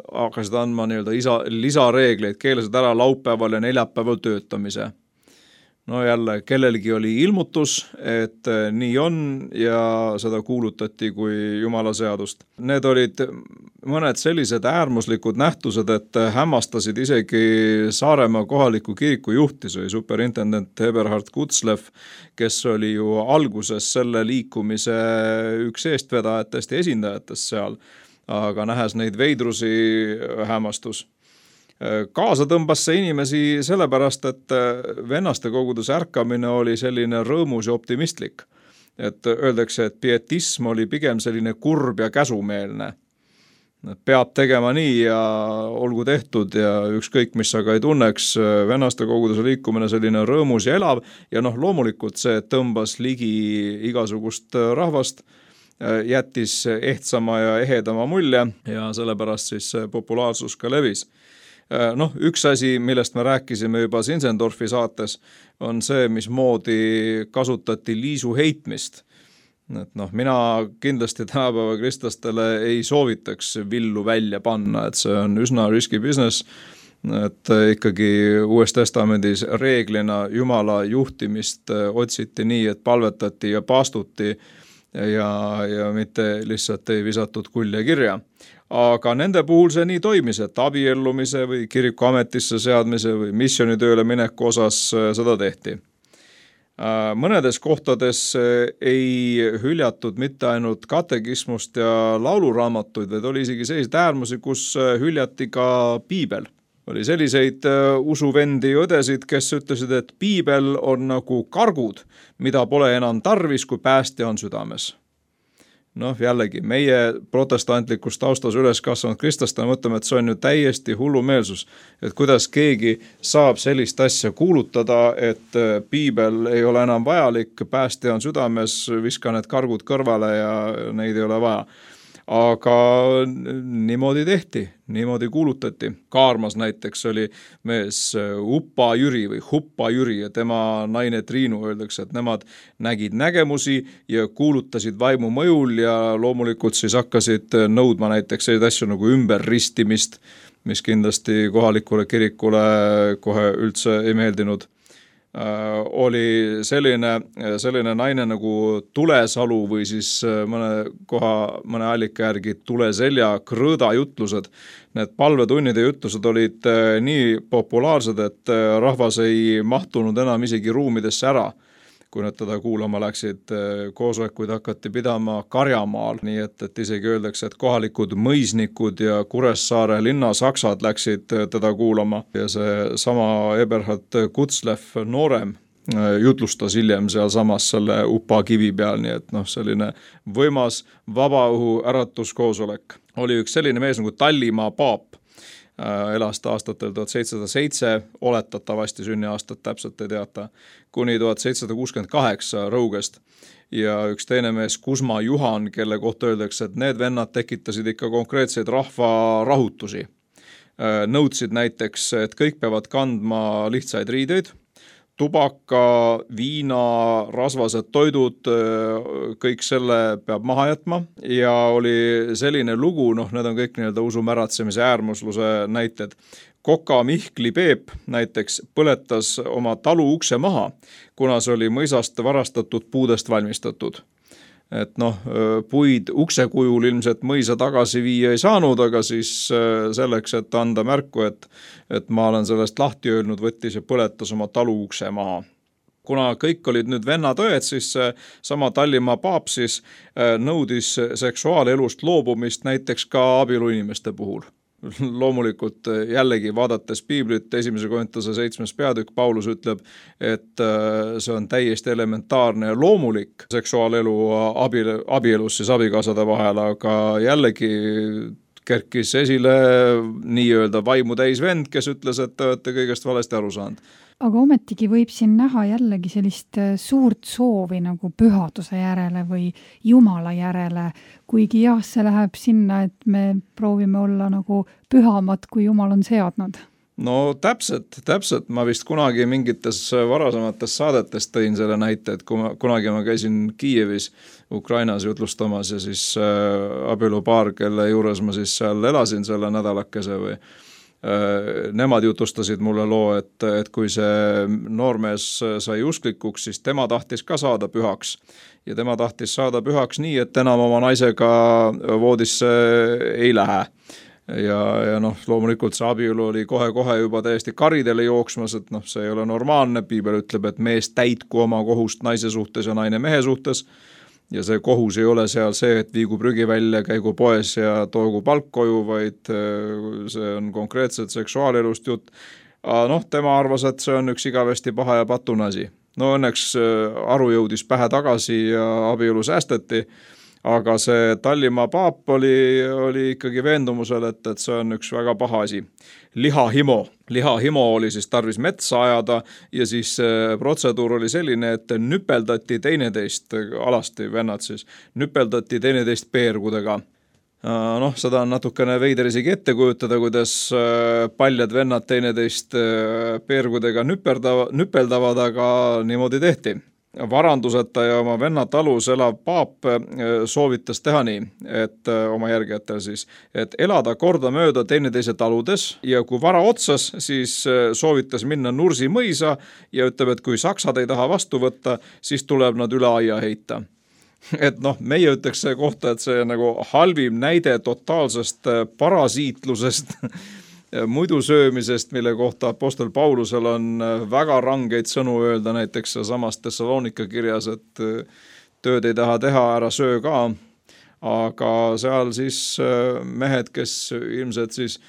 hakkasid andma nii-öelda lisareegleid, keelasid ära laupäeval ja neljapäeval töötamise. No jälle, kellelgi oli ilmutus, et nii on ja seda kuulutati kui Jumala seadust. Need olid mõned sellised äärmuslikud nähtused, et hämmastasid isegi Saaremaa kohaliku kiriku juhti, see oli superintendent Eberhard Kutzlev, kes oli ju alguses selle liikumise üks eestvedajatest ja esindajatest seal, aga nähes neid veidrusi hämmastus. Kaasa tõmbas see inimesi sellepärast, et vennaste koguduse ärkamine oli selline rõõmus ja optimistlik. Et öeldakse, et pietism oli pigem selline kurb ja käsumeelne. Peab tegema nii ja olgu tehtud ja ükskõik, mis aga ei tunneks, vennaste koguduse liikumine selline rõõmus ja elav ja loomulikult see tõmbas ligi igasugust rahvast, jättis ehtsama ja ehedama mulje ja sellepärast siis populaarsus ka levis. Üks asi, millest me rääkisime juba Zinzendorfi saates, on see, mismoodi kasutati liisu heitmist. Et mina kindlasti tänapäeva kristlastele ei soovitaks villu välja panna, et see on üsna risky business, et ikkagi Uues Testamendis reeglina Jumala juhtimist otsiti nii, et palvetati ja paastuti ja mitte lihtsalt ei visatud kulje kirja. Aga nende puhul see nii toimis, et abiellumise või kiriku ametisse seadmise või missionitööle mineku osas seda tehti. Mõnedes kohtades ei hüljatud mitte ainult katekismust ja lauluraamatuid, vaid oli isegi selliseid äärmusi, kus hüljati ka piibel. Oli selliseid usuvendi ja õdesid, kes ütlesid, et piibel on nagu kargud, mida pole enam tarvis, kui päästja on südames. Jällegi, meie protestantlikus taustas üles kasvanud kristlastena mõtleme, et see on ju täiesti hullumeelsus, et kuidas keegi saab sellist asja kuulutada, et piibel ei ole enam vajalik, päästja on südames, viska need kargud kõrvale ja neid ei ole vaja. Aga niimoodi tehti, niimoodi kuulutati. Kaarmas näiteks oli mees Upa Jüri või Huppa Jüri ja tema naine Triinu, öeldakse, et nemad nägid nägemusi ja kuulutasid vaimu mõjul ja loomulikult siis hakkasid nõudma näiteks selliseid asju nagu ümberristimist, mis kindlasti kohalikule kirikule kohe üldse ei meeldinud. Oli selline naine nagu Tulesalu või siis mõne allika järgi Tuleselja krõõda jutlused. Need palvetunnid ja jutlused olid nii populaarsed, et rahvas ei mahtunud enam isegi ruumidesse ära. kui nad teda kuulama läksid. Koosolekuid hakati pidama Karjamaal, nii et isegi öeldakse, et kohalikud mõisnikud ja Kuressaare linnasaksad läksid teda kuulama ja see sama Eberhard Kutzlev noorem jutlustas hiljem sealsamas selle Upa kivi peal, nii et selline võimas vabaõhu äratuskoosolek. Oli üks selline mees nagu Tallimaa paap, elas ta aastatel 1707, oletatavasti sünniaastat täpselt ei teata, kuni 1768 Rõugest. Ja üks teine mees Kusma Juhan, kelle kohta öeldakse, et need vennad tekitasid ikka konkreetseid rahvarahutusi. Nõudsid näiteks, et kõik peavad kandma lihtsaid riideid, tubaka, viina, rasvased toidud, kõik selle peab maha jätma ja oli selline lugu, need on kõik nii-öelda usumäratsemise äärmusluse näited. Koka Mihkli Peep näiteks põletas oma talu ukse maha, kuna see oli mõisast varastatud puudest valmistatud. Et puid ukse kujul ilmselt mõisa tagasi viia ei saanud, aga siis selleks, et anda märku, et ma olen sellest lahti öelnud, võttis ja põletas oma talu ukse maha. Kuna kõik olid nüüd vennatõed, siis sama Tallimaa paap siis nõudis seksuaalelust loobumist näiteks ka abieluinimeste puhul. Loomulikult jällegi vaadates piiblit, 1. Korintuse 7. peatükk, Paulus ütleb, et see on täiesti elementaarne ja loomulik seksuaalelu abielus siis abikaasade vahel, aga jällegi kerkis esile nii-öelda vaimu täis vend, kes ütles, et te olete kõigest valesti aru saanud. Aga ometigi võib siin näha jällegi sellist suurt soovi nagu pühaduse järele või Jumala järele, kuigi jah, see läheb sinna, et me proovime olla nagu pühamad, kui Jumal on seadnud. No täpselt. Ma vist kunagi mingites varasemates saadetes tõin selle näite, et kunagi ma käisin Kiievis, Ukrainas jutlustamas ja siis abielupaar, kelle juures ma siis seal elasin selle nädalakese või nemad jutustasid mulle loo, et kui see noormees sai usklikuks, siis tema tahtis ka saada pühaks. Ja tema tahtis saada pühaks nii, et enam oma naisega voodisse ei lähe. Ja loomulikult see abielu oli kohe juba täiesti karidele jooksmas, et see ei ole normaalne. Piibel ütleb, et mees täitku oma kohust naise suhtes ja naine mehe suhtes. Ja see kohus ei ole seal see, et viigu prügi välja, käigu poes ja toogu palk koju, vaid see on konkreetselt seksuaalelust jutt. Tema arvas, et see on üks igavesti paha ja patune asi. Õnneks aru jõudis pähe tagasi ja abielu säästeti, aga see Tallimaa paap oli ikkagi veendumusel, et see on üks väga paha asi. Lihahimo oli siis tarvis metsa ajada ja siis protseduur oli selline, et nüpeldati teineteist, alasti vennad siis, nüpeldati teineteist peergudega. Seda on natukene veider isegi ette kujutada, kuidas paljad vennad teineteist peergudega nüpeldavad, aga niimoodi tehti. Varanduseta ja oma venna talus elav paap soovitas teha nii, et oma järgijatel siis, et elada korda mööda teineteise taludes ja kui vara otsas, siis soovitas minna Nursi mõisa ja ütleb, et kui saksad ei taha vastu võtta, siis tuleb nad üle aia heita. Et meie ütleks see kohta, et see nagu halvim näide totaalsest parasiitlusest, muidu söömisest, mille kohta apostel Paulusel on väga rangeid sõnu öelda, näiteks samas Thessalonika kirjas, et tööd ei taha teha, ära söö ka, aga seal siis mehed, kes ilmselt siis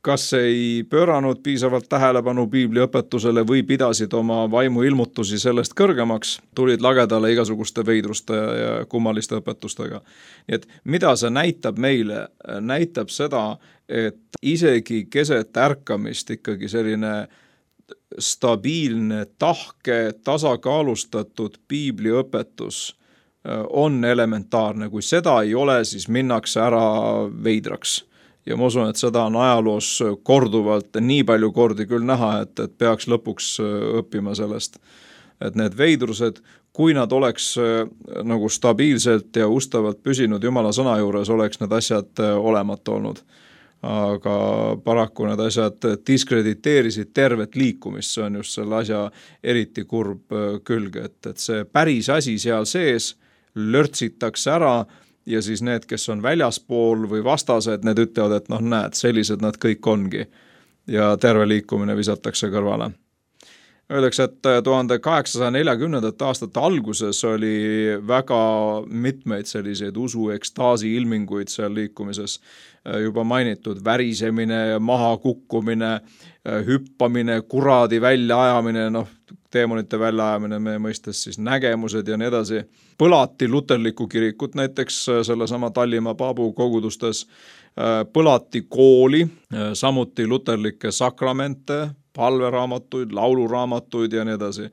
kas ei pööranud piisavalt tähelepanu piibli õpetusele või pidasid oma vaimu ilmutusi sellest kõrgemaks, tulid lagedale igasuguste veidruste ja kummaliste õpetustega. Nii et mida see näitab meile? Näitab seda, et isegi keset ärkamist ikkagi selline stabiilne, tahke, tasakaalustatud piibliõpetus on elementaarne. Kui seda ei ole, siis minnakse ära veidraks. Ja ma usun, et seda on ajaloos korduvalt nii palju kordi küll näha, et peaks lõpuks õppima sellest. Et need veidrused, kui nad oleks nagu stabiilselt ja ustavalt püsinud Jumala sõna juures, oleks need asjad olemata olnud. Aga paraku need asjad diskrediteerisid tervet liikumist, see on just selle asja eriti kurb külg, et see päris asi seal sees lörtsitakse ära, ja siis need, kes on väljaspool või vastased, need ütlevad, et näed, sellised nad kõik ongi. Ja terve liikumine visatakse kõrvale. Öeldakse, et 1840. aastate alguses oli väga mitmeid selliseid usuekstaasi ilminguid seal liikumises. Juba mainitud värisemine, mahakukkumine, hüppamine, kuradi väljaajamine, teemonite väljaajamine meie mõistes siis nägemused ja nii edasi. Põlati luterlikku kirikut näiteks sellesama Tallinna Paabu kogudustes, põlati kooli, samuti luterlikke sakramente, palveraamatuid, lauluraamatuid ja nii edasi.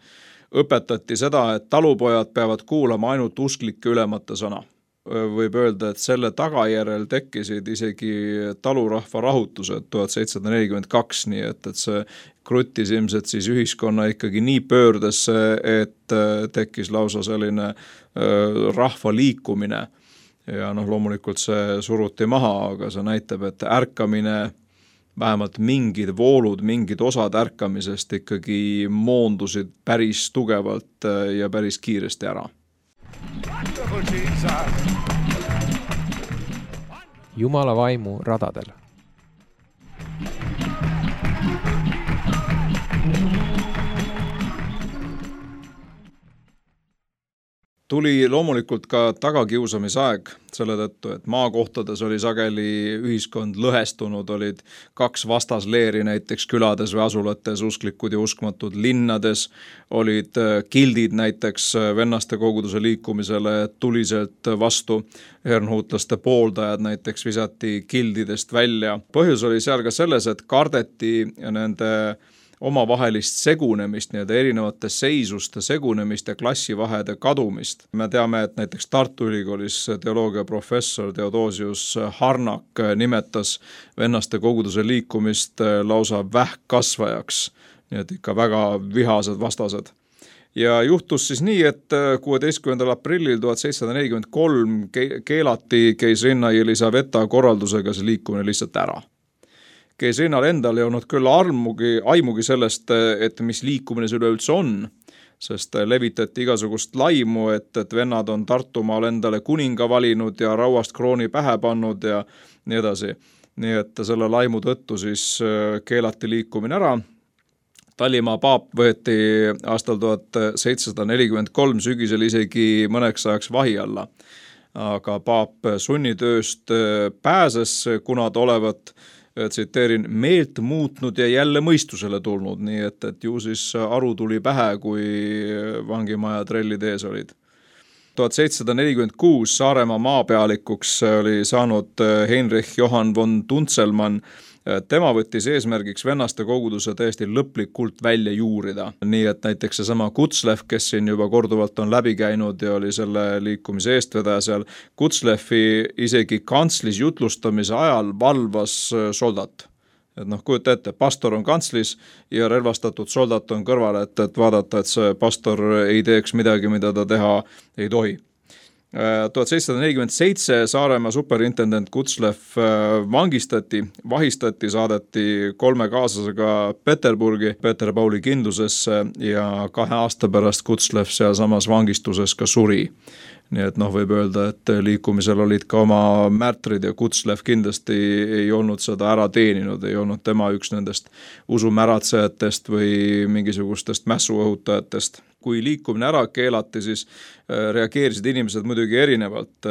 Õpetati seda, et talupojad peavad kuulama ainult usklike ülemate sõna. Võib öelda, et selle tagajärjel tekkisid isegi talurahva rahutused 1742, nii et see kruttis ilmselt siis ühiskonna ikkagi nii pöördesse, et tekkis lausa selline rahva liikumine. Ja loomulikult see suruti maha, aga see näitab, et ärkamine, vähemalt mingid voolud, mingid osad ärkamisest ikkagi moondusid päris tugevalt ja päris kiiresti ära. Jumala vaimu radadel. Tuli loomulikult ka tagakiusamisaeg selle tõttu, et maakohtades oli sageli ühiskond lõhestunud, olid kaks vastasleeri näiteks külades või asulates, usklikud ja uskmatud. Linnades olid kildid näiteks vennaste koguduse liikumisele tuliselt vastu. Herrnhutlaste pooldajad näiteks visati kildidest välja. Põhjus oli seal ka selles, et kardeti nende omavahelist segunemist, erinevate seisuste segunemist ja klassivahede kadumist. Me teame, et näiteks Tartu Ülikoolis teoloogia professor Theodosius Harnak nimetas vennaste koguduse liikumist lausa vähkkasvajaks, nii et ikka väga vihased vastased. Ja juhtus siis nii, et 16. aprillil 1743 keelati keisrinna Elisaveta korraldusega see liikumine lihtsalt ära. Keisrinnal endal ei olnud küll aimugi sellest, et mis liikumine see üleüldse on, sest levitati igasugust laimu, et vennad on Tartumaal endale kuninga valinud ja rauast krooni pähe pannud ja nii edasi. Nii et selle laimu tõttu siis keelati liikumine ära. Tallinna paap võeti aastal 1743 sügisel isegi mõneks ajaks vahi alla. Aga paap sunnitööst pääses, kuna ta olevat tsiteerin, meelt muutnud ja jälle mõistusele tulnud, nii et ju siis aru tuli pähe, kui vangimaja trellid ees olid. 1746 Saaremaa maapealikuks oli saanud Heinrich Johann von Tunzelmann. Tema võttis eesmärgiks vennaste koguduse täiesti lõplikult välja juurida. Nii et näiteks seesama Kutzlev, kes siin juba korduvalt on läbi käinud ja oli selle liikumise eestvedaja seal, Kutzlevi isegi kantslis jutlustamise ajal valvas soldat. Et kujuta ette, pastor on kantslis ja relvastatud soldat on kõrval, et vaadata, et see pastor ei teeks midagi, mida ta teha ei tohi. 1747 Saaremaa superintendent Kutzlev vahistati, saadeti 3 kaaslasega Peterburgi, Peter Pauli kindlusesse ja 2 aasta pärast Kutzlev seal samas vangistuses ka suri. Nii et võib öelda, et liikumisel olid ka oma märtrid ja Kutzlev kindlasti ei olnud seda ära teeninud, ei olnud tema üks nendest usumäratsejatest või mingisugustest mässuõhutajatest. Kui liikumine ära keelati, siis reageerisid inimesed muidugi erinevalt.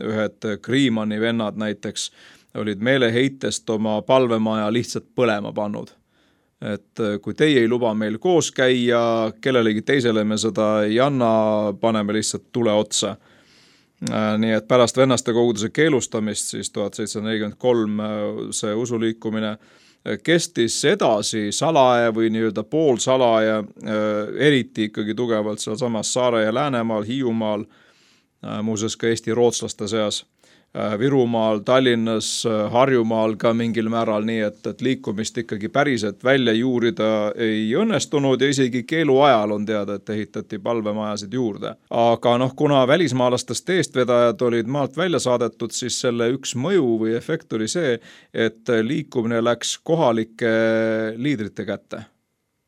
Ühed Kriimani vennad näiteks olid meeleheitest oma palvemaja lihtsalt põlema pannud. Et kui teie ei luba meil koos käia, kellelegi teisele me seda ei anna, paneme lihtsalt tule otsa. Nii et pärast vennaste koguduse keelustamist siis 1743 see usuliikumine kestis edasi salaja või nii-öelda poolsalaja, eriti ikkagi tugevalt seal samas Saare ja Läänemaal, Hiiumaal, muuseas ka Eesti rootslaste seas, Virumaal, Tallinnas, Harjumaal ka mingil määral, nii et liikumist ikkagi päriselt välja juurida ei õnnestunud ja isegi keelu ajal on teada, et ehitati palvemajasid juurde. Aga kuna välismaalastest eestvedajad olid maalt välja saadetud, siis selle üks mõju või efekt oli see, et liikumine läks kohalike liidrite kätte.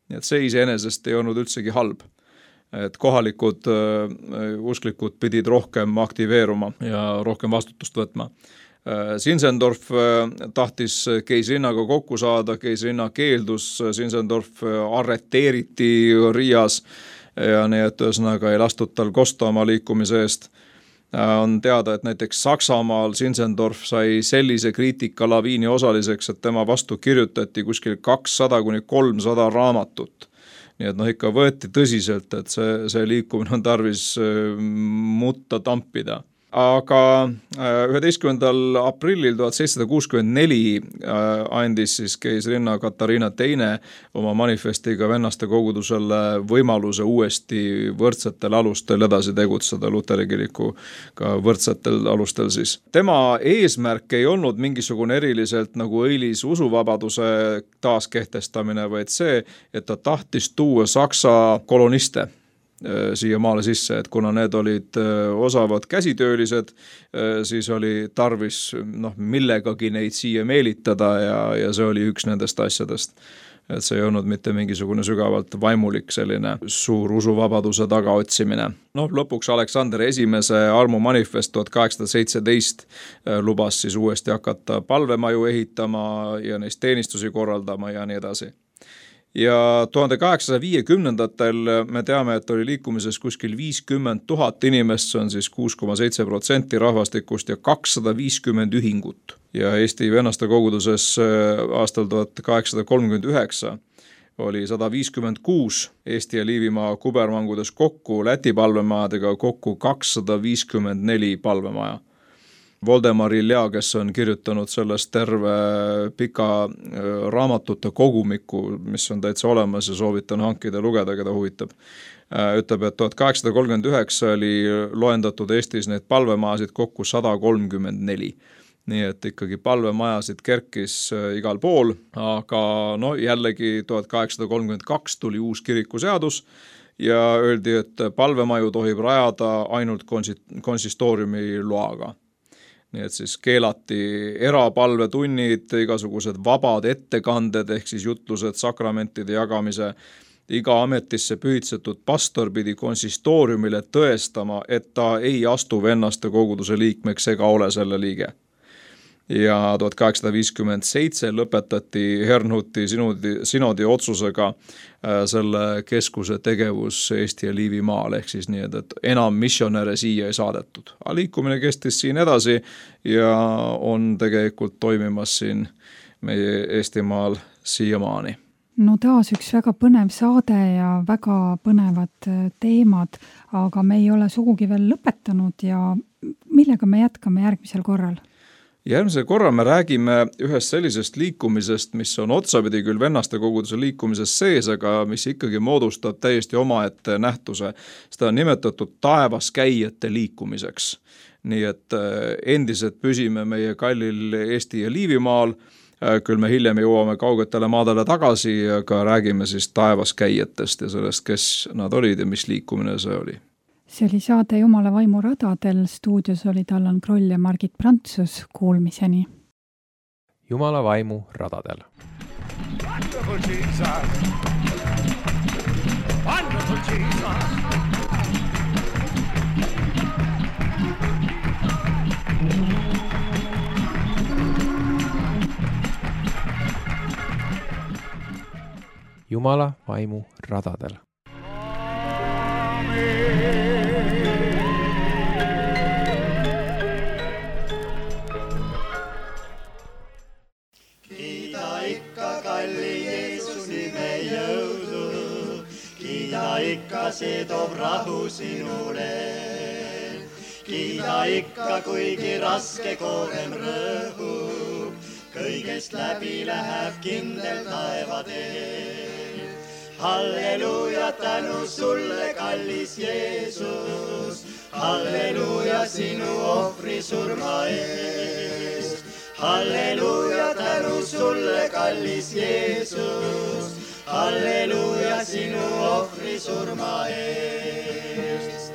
Nii et see iseenesest ei olnud üldsegi halb. Et kohalikud usklikud pidid rohkem aktiveeruma ja rohkem vastutust võtma. Zinzendorf tahtis keisrinnaga kokku saada, keisrinna keeldus, Zinzendorf arreteeriti Riias ja nii, et ühesõnaga ei lastud tal kosta oma liikumise eest. On teada, et näiteks Saksamaal Zinzendorf sai sellise kriitikalaviini osaliseks, et tema vastu kirjutati kuskil 200-300 raamatut. Nii et ikka võeti tõsiselt, et see liikumine on tarvis mutta tampida. Aga 11. aprillil 1764 andis siis keisrinna Katariina II oma manifestiga vennaste kogudusele võimaluse uuesti võrdsetel alustel edasi tegutseda Luteri kirikuga võrdsetel alustel siis. Tema eesmärk ei olnud mingisugune eriliselt nagu õilis usuvabaduse taaskehtestamine, vaid see, et ta tahtis tuua Saksa koloniste siia maale sisse, et kuna need olid osavad käsitöölised, siis oli tarvis millegagi neid siia meelitada ja see oli üks nendest asjadest. Et see ei olnud mitte mingisugune sügavalt vaimulik selline suur usuvabaduse tagaotsimine. Lõpuks Aleksander esimese armumanifest 1817 lubas siis uuesti hakata palvemaju ehitama ja neist teenistusi korraldama ja nii edasi. Ja 1850-ndatel me teame, et oli liikumises kuskil 50 000 inimest, see on siis 6,7% rahvastikust ja 250 ühingut. Ja Eesti vennaste koguduses aastal 1839 oli 156 Eesti ja Liivimaa kubermangudes kokku, Läti palvemajadega kokku 254 palvemaja. Voldemar Ilja, kes on kirjutanud sellest terve pika raamatute kogumiku, mis on täitsa olemas ja soovitan hankida lugeda, keda huvitab. Ütleb, et 1839 oli loendatud Eestis neid palvemajasid kokku 134. Nii et ikkagi palvemajasid kerkis igal pool, aga jällegi 1832 tuli uus kirikuseadus ja öeldi, et palvemaju tohib rajada ainult konsistooriumi loaga. Nii et siis keelati erapalvetunnid, igasugused vabad ettekanded ehk siis jutlused, sakramentide jagamise. Iga ametisse pühitsetud pastor pidi konsistooriumile tõestama, et ta ei astu vennaste koguduse liikmeks ega ole selle liige. Ja 1857 lõpetati Herrnhuti sinodi otsusega selle keskuse tegevus Eesti ja Liivimaal, ehk siis nii, et enam missionäre siia ei saadetud. Aga liikumine kestis siin edasi ja on tegelikult toimimas siin meie Eestimaal siiamaani. Taas üks väga põnev saade ja väga põnevad teemad, aga me ei ole sugugi veel lõpetanud ja millega me jätkame järgmisel korral? Järgmisel korral me räägime ühest sellisest liikumisest, mis on otsapidi küll vennaste koguduse liikumises sees, aga mis ikkagi moodustab täiesti omaette nähtuse. Seda on nimetatud taevaskäijate liikumiseks. Nii et endiselt püsime meie kallil Eesti ja Liivimaal, küll me hiljem jõuame kaugetele maadele tagasi, aga räägime siis taevaskäijatest ja sellest, kes nad olid ja mis liikumine see oli. See oli saade Jumala vaimu radadel, stuudios olid Allan Kroll ja Margit Prantsus, kuulmiseni. Jumala vaimu radadel. Wonderful Jesus. Wonderful Jesus. Jumala vaimu radadel. Ikka see toob rahu sinule. Kiida ikka, kuigi raske koorem rõhub, kõigest läbi läheb kindel taevatee. Halleluuja, tänu sulle, kallis Jeesus, halleluuja sinu ohvri surma eest. Halleluuja, tänu sulle, kallis Jeesus, halleluuja sinu ohvri surma eest.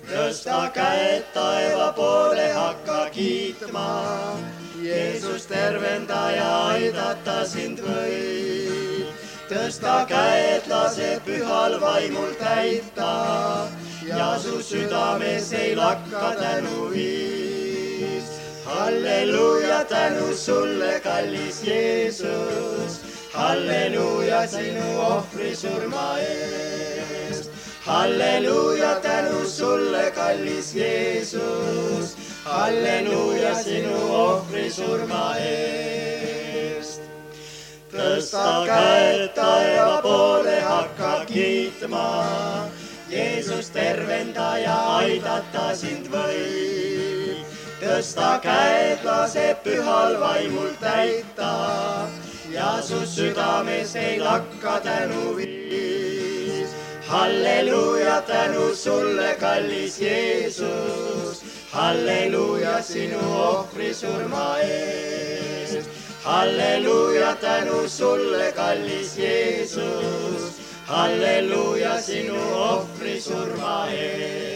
Tõsta käed taeva poole, hakka kiitma, Jeesus tervendaja aidata sind võib. Tõsta käed, lase pühal vaimul täita ja su südames ei lakka tänuviis. halleluuja, tänu sulle, kallis Jeesus. Halleluuja, sinu ohvri surma eest. Halleluuja, tänu sulle, kallis Jeesus. Halleluuja, sinu ohvri surma eest. Tõsta käed taeva poole, hakka kiitma. Jeesus tervendaja, aidata sind võib. Tõsta käed, lase pühal vaimul täita. Ja su südames ei lakka tänuviis. Halleluuja, tänu sulle, kallis Jeesus. Halleluuja, sinu ohvri surma eest. Halleluuja, tänu sulle, kallis Jeesus. Halleluuja, sinu ohvri surma eest.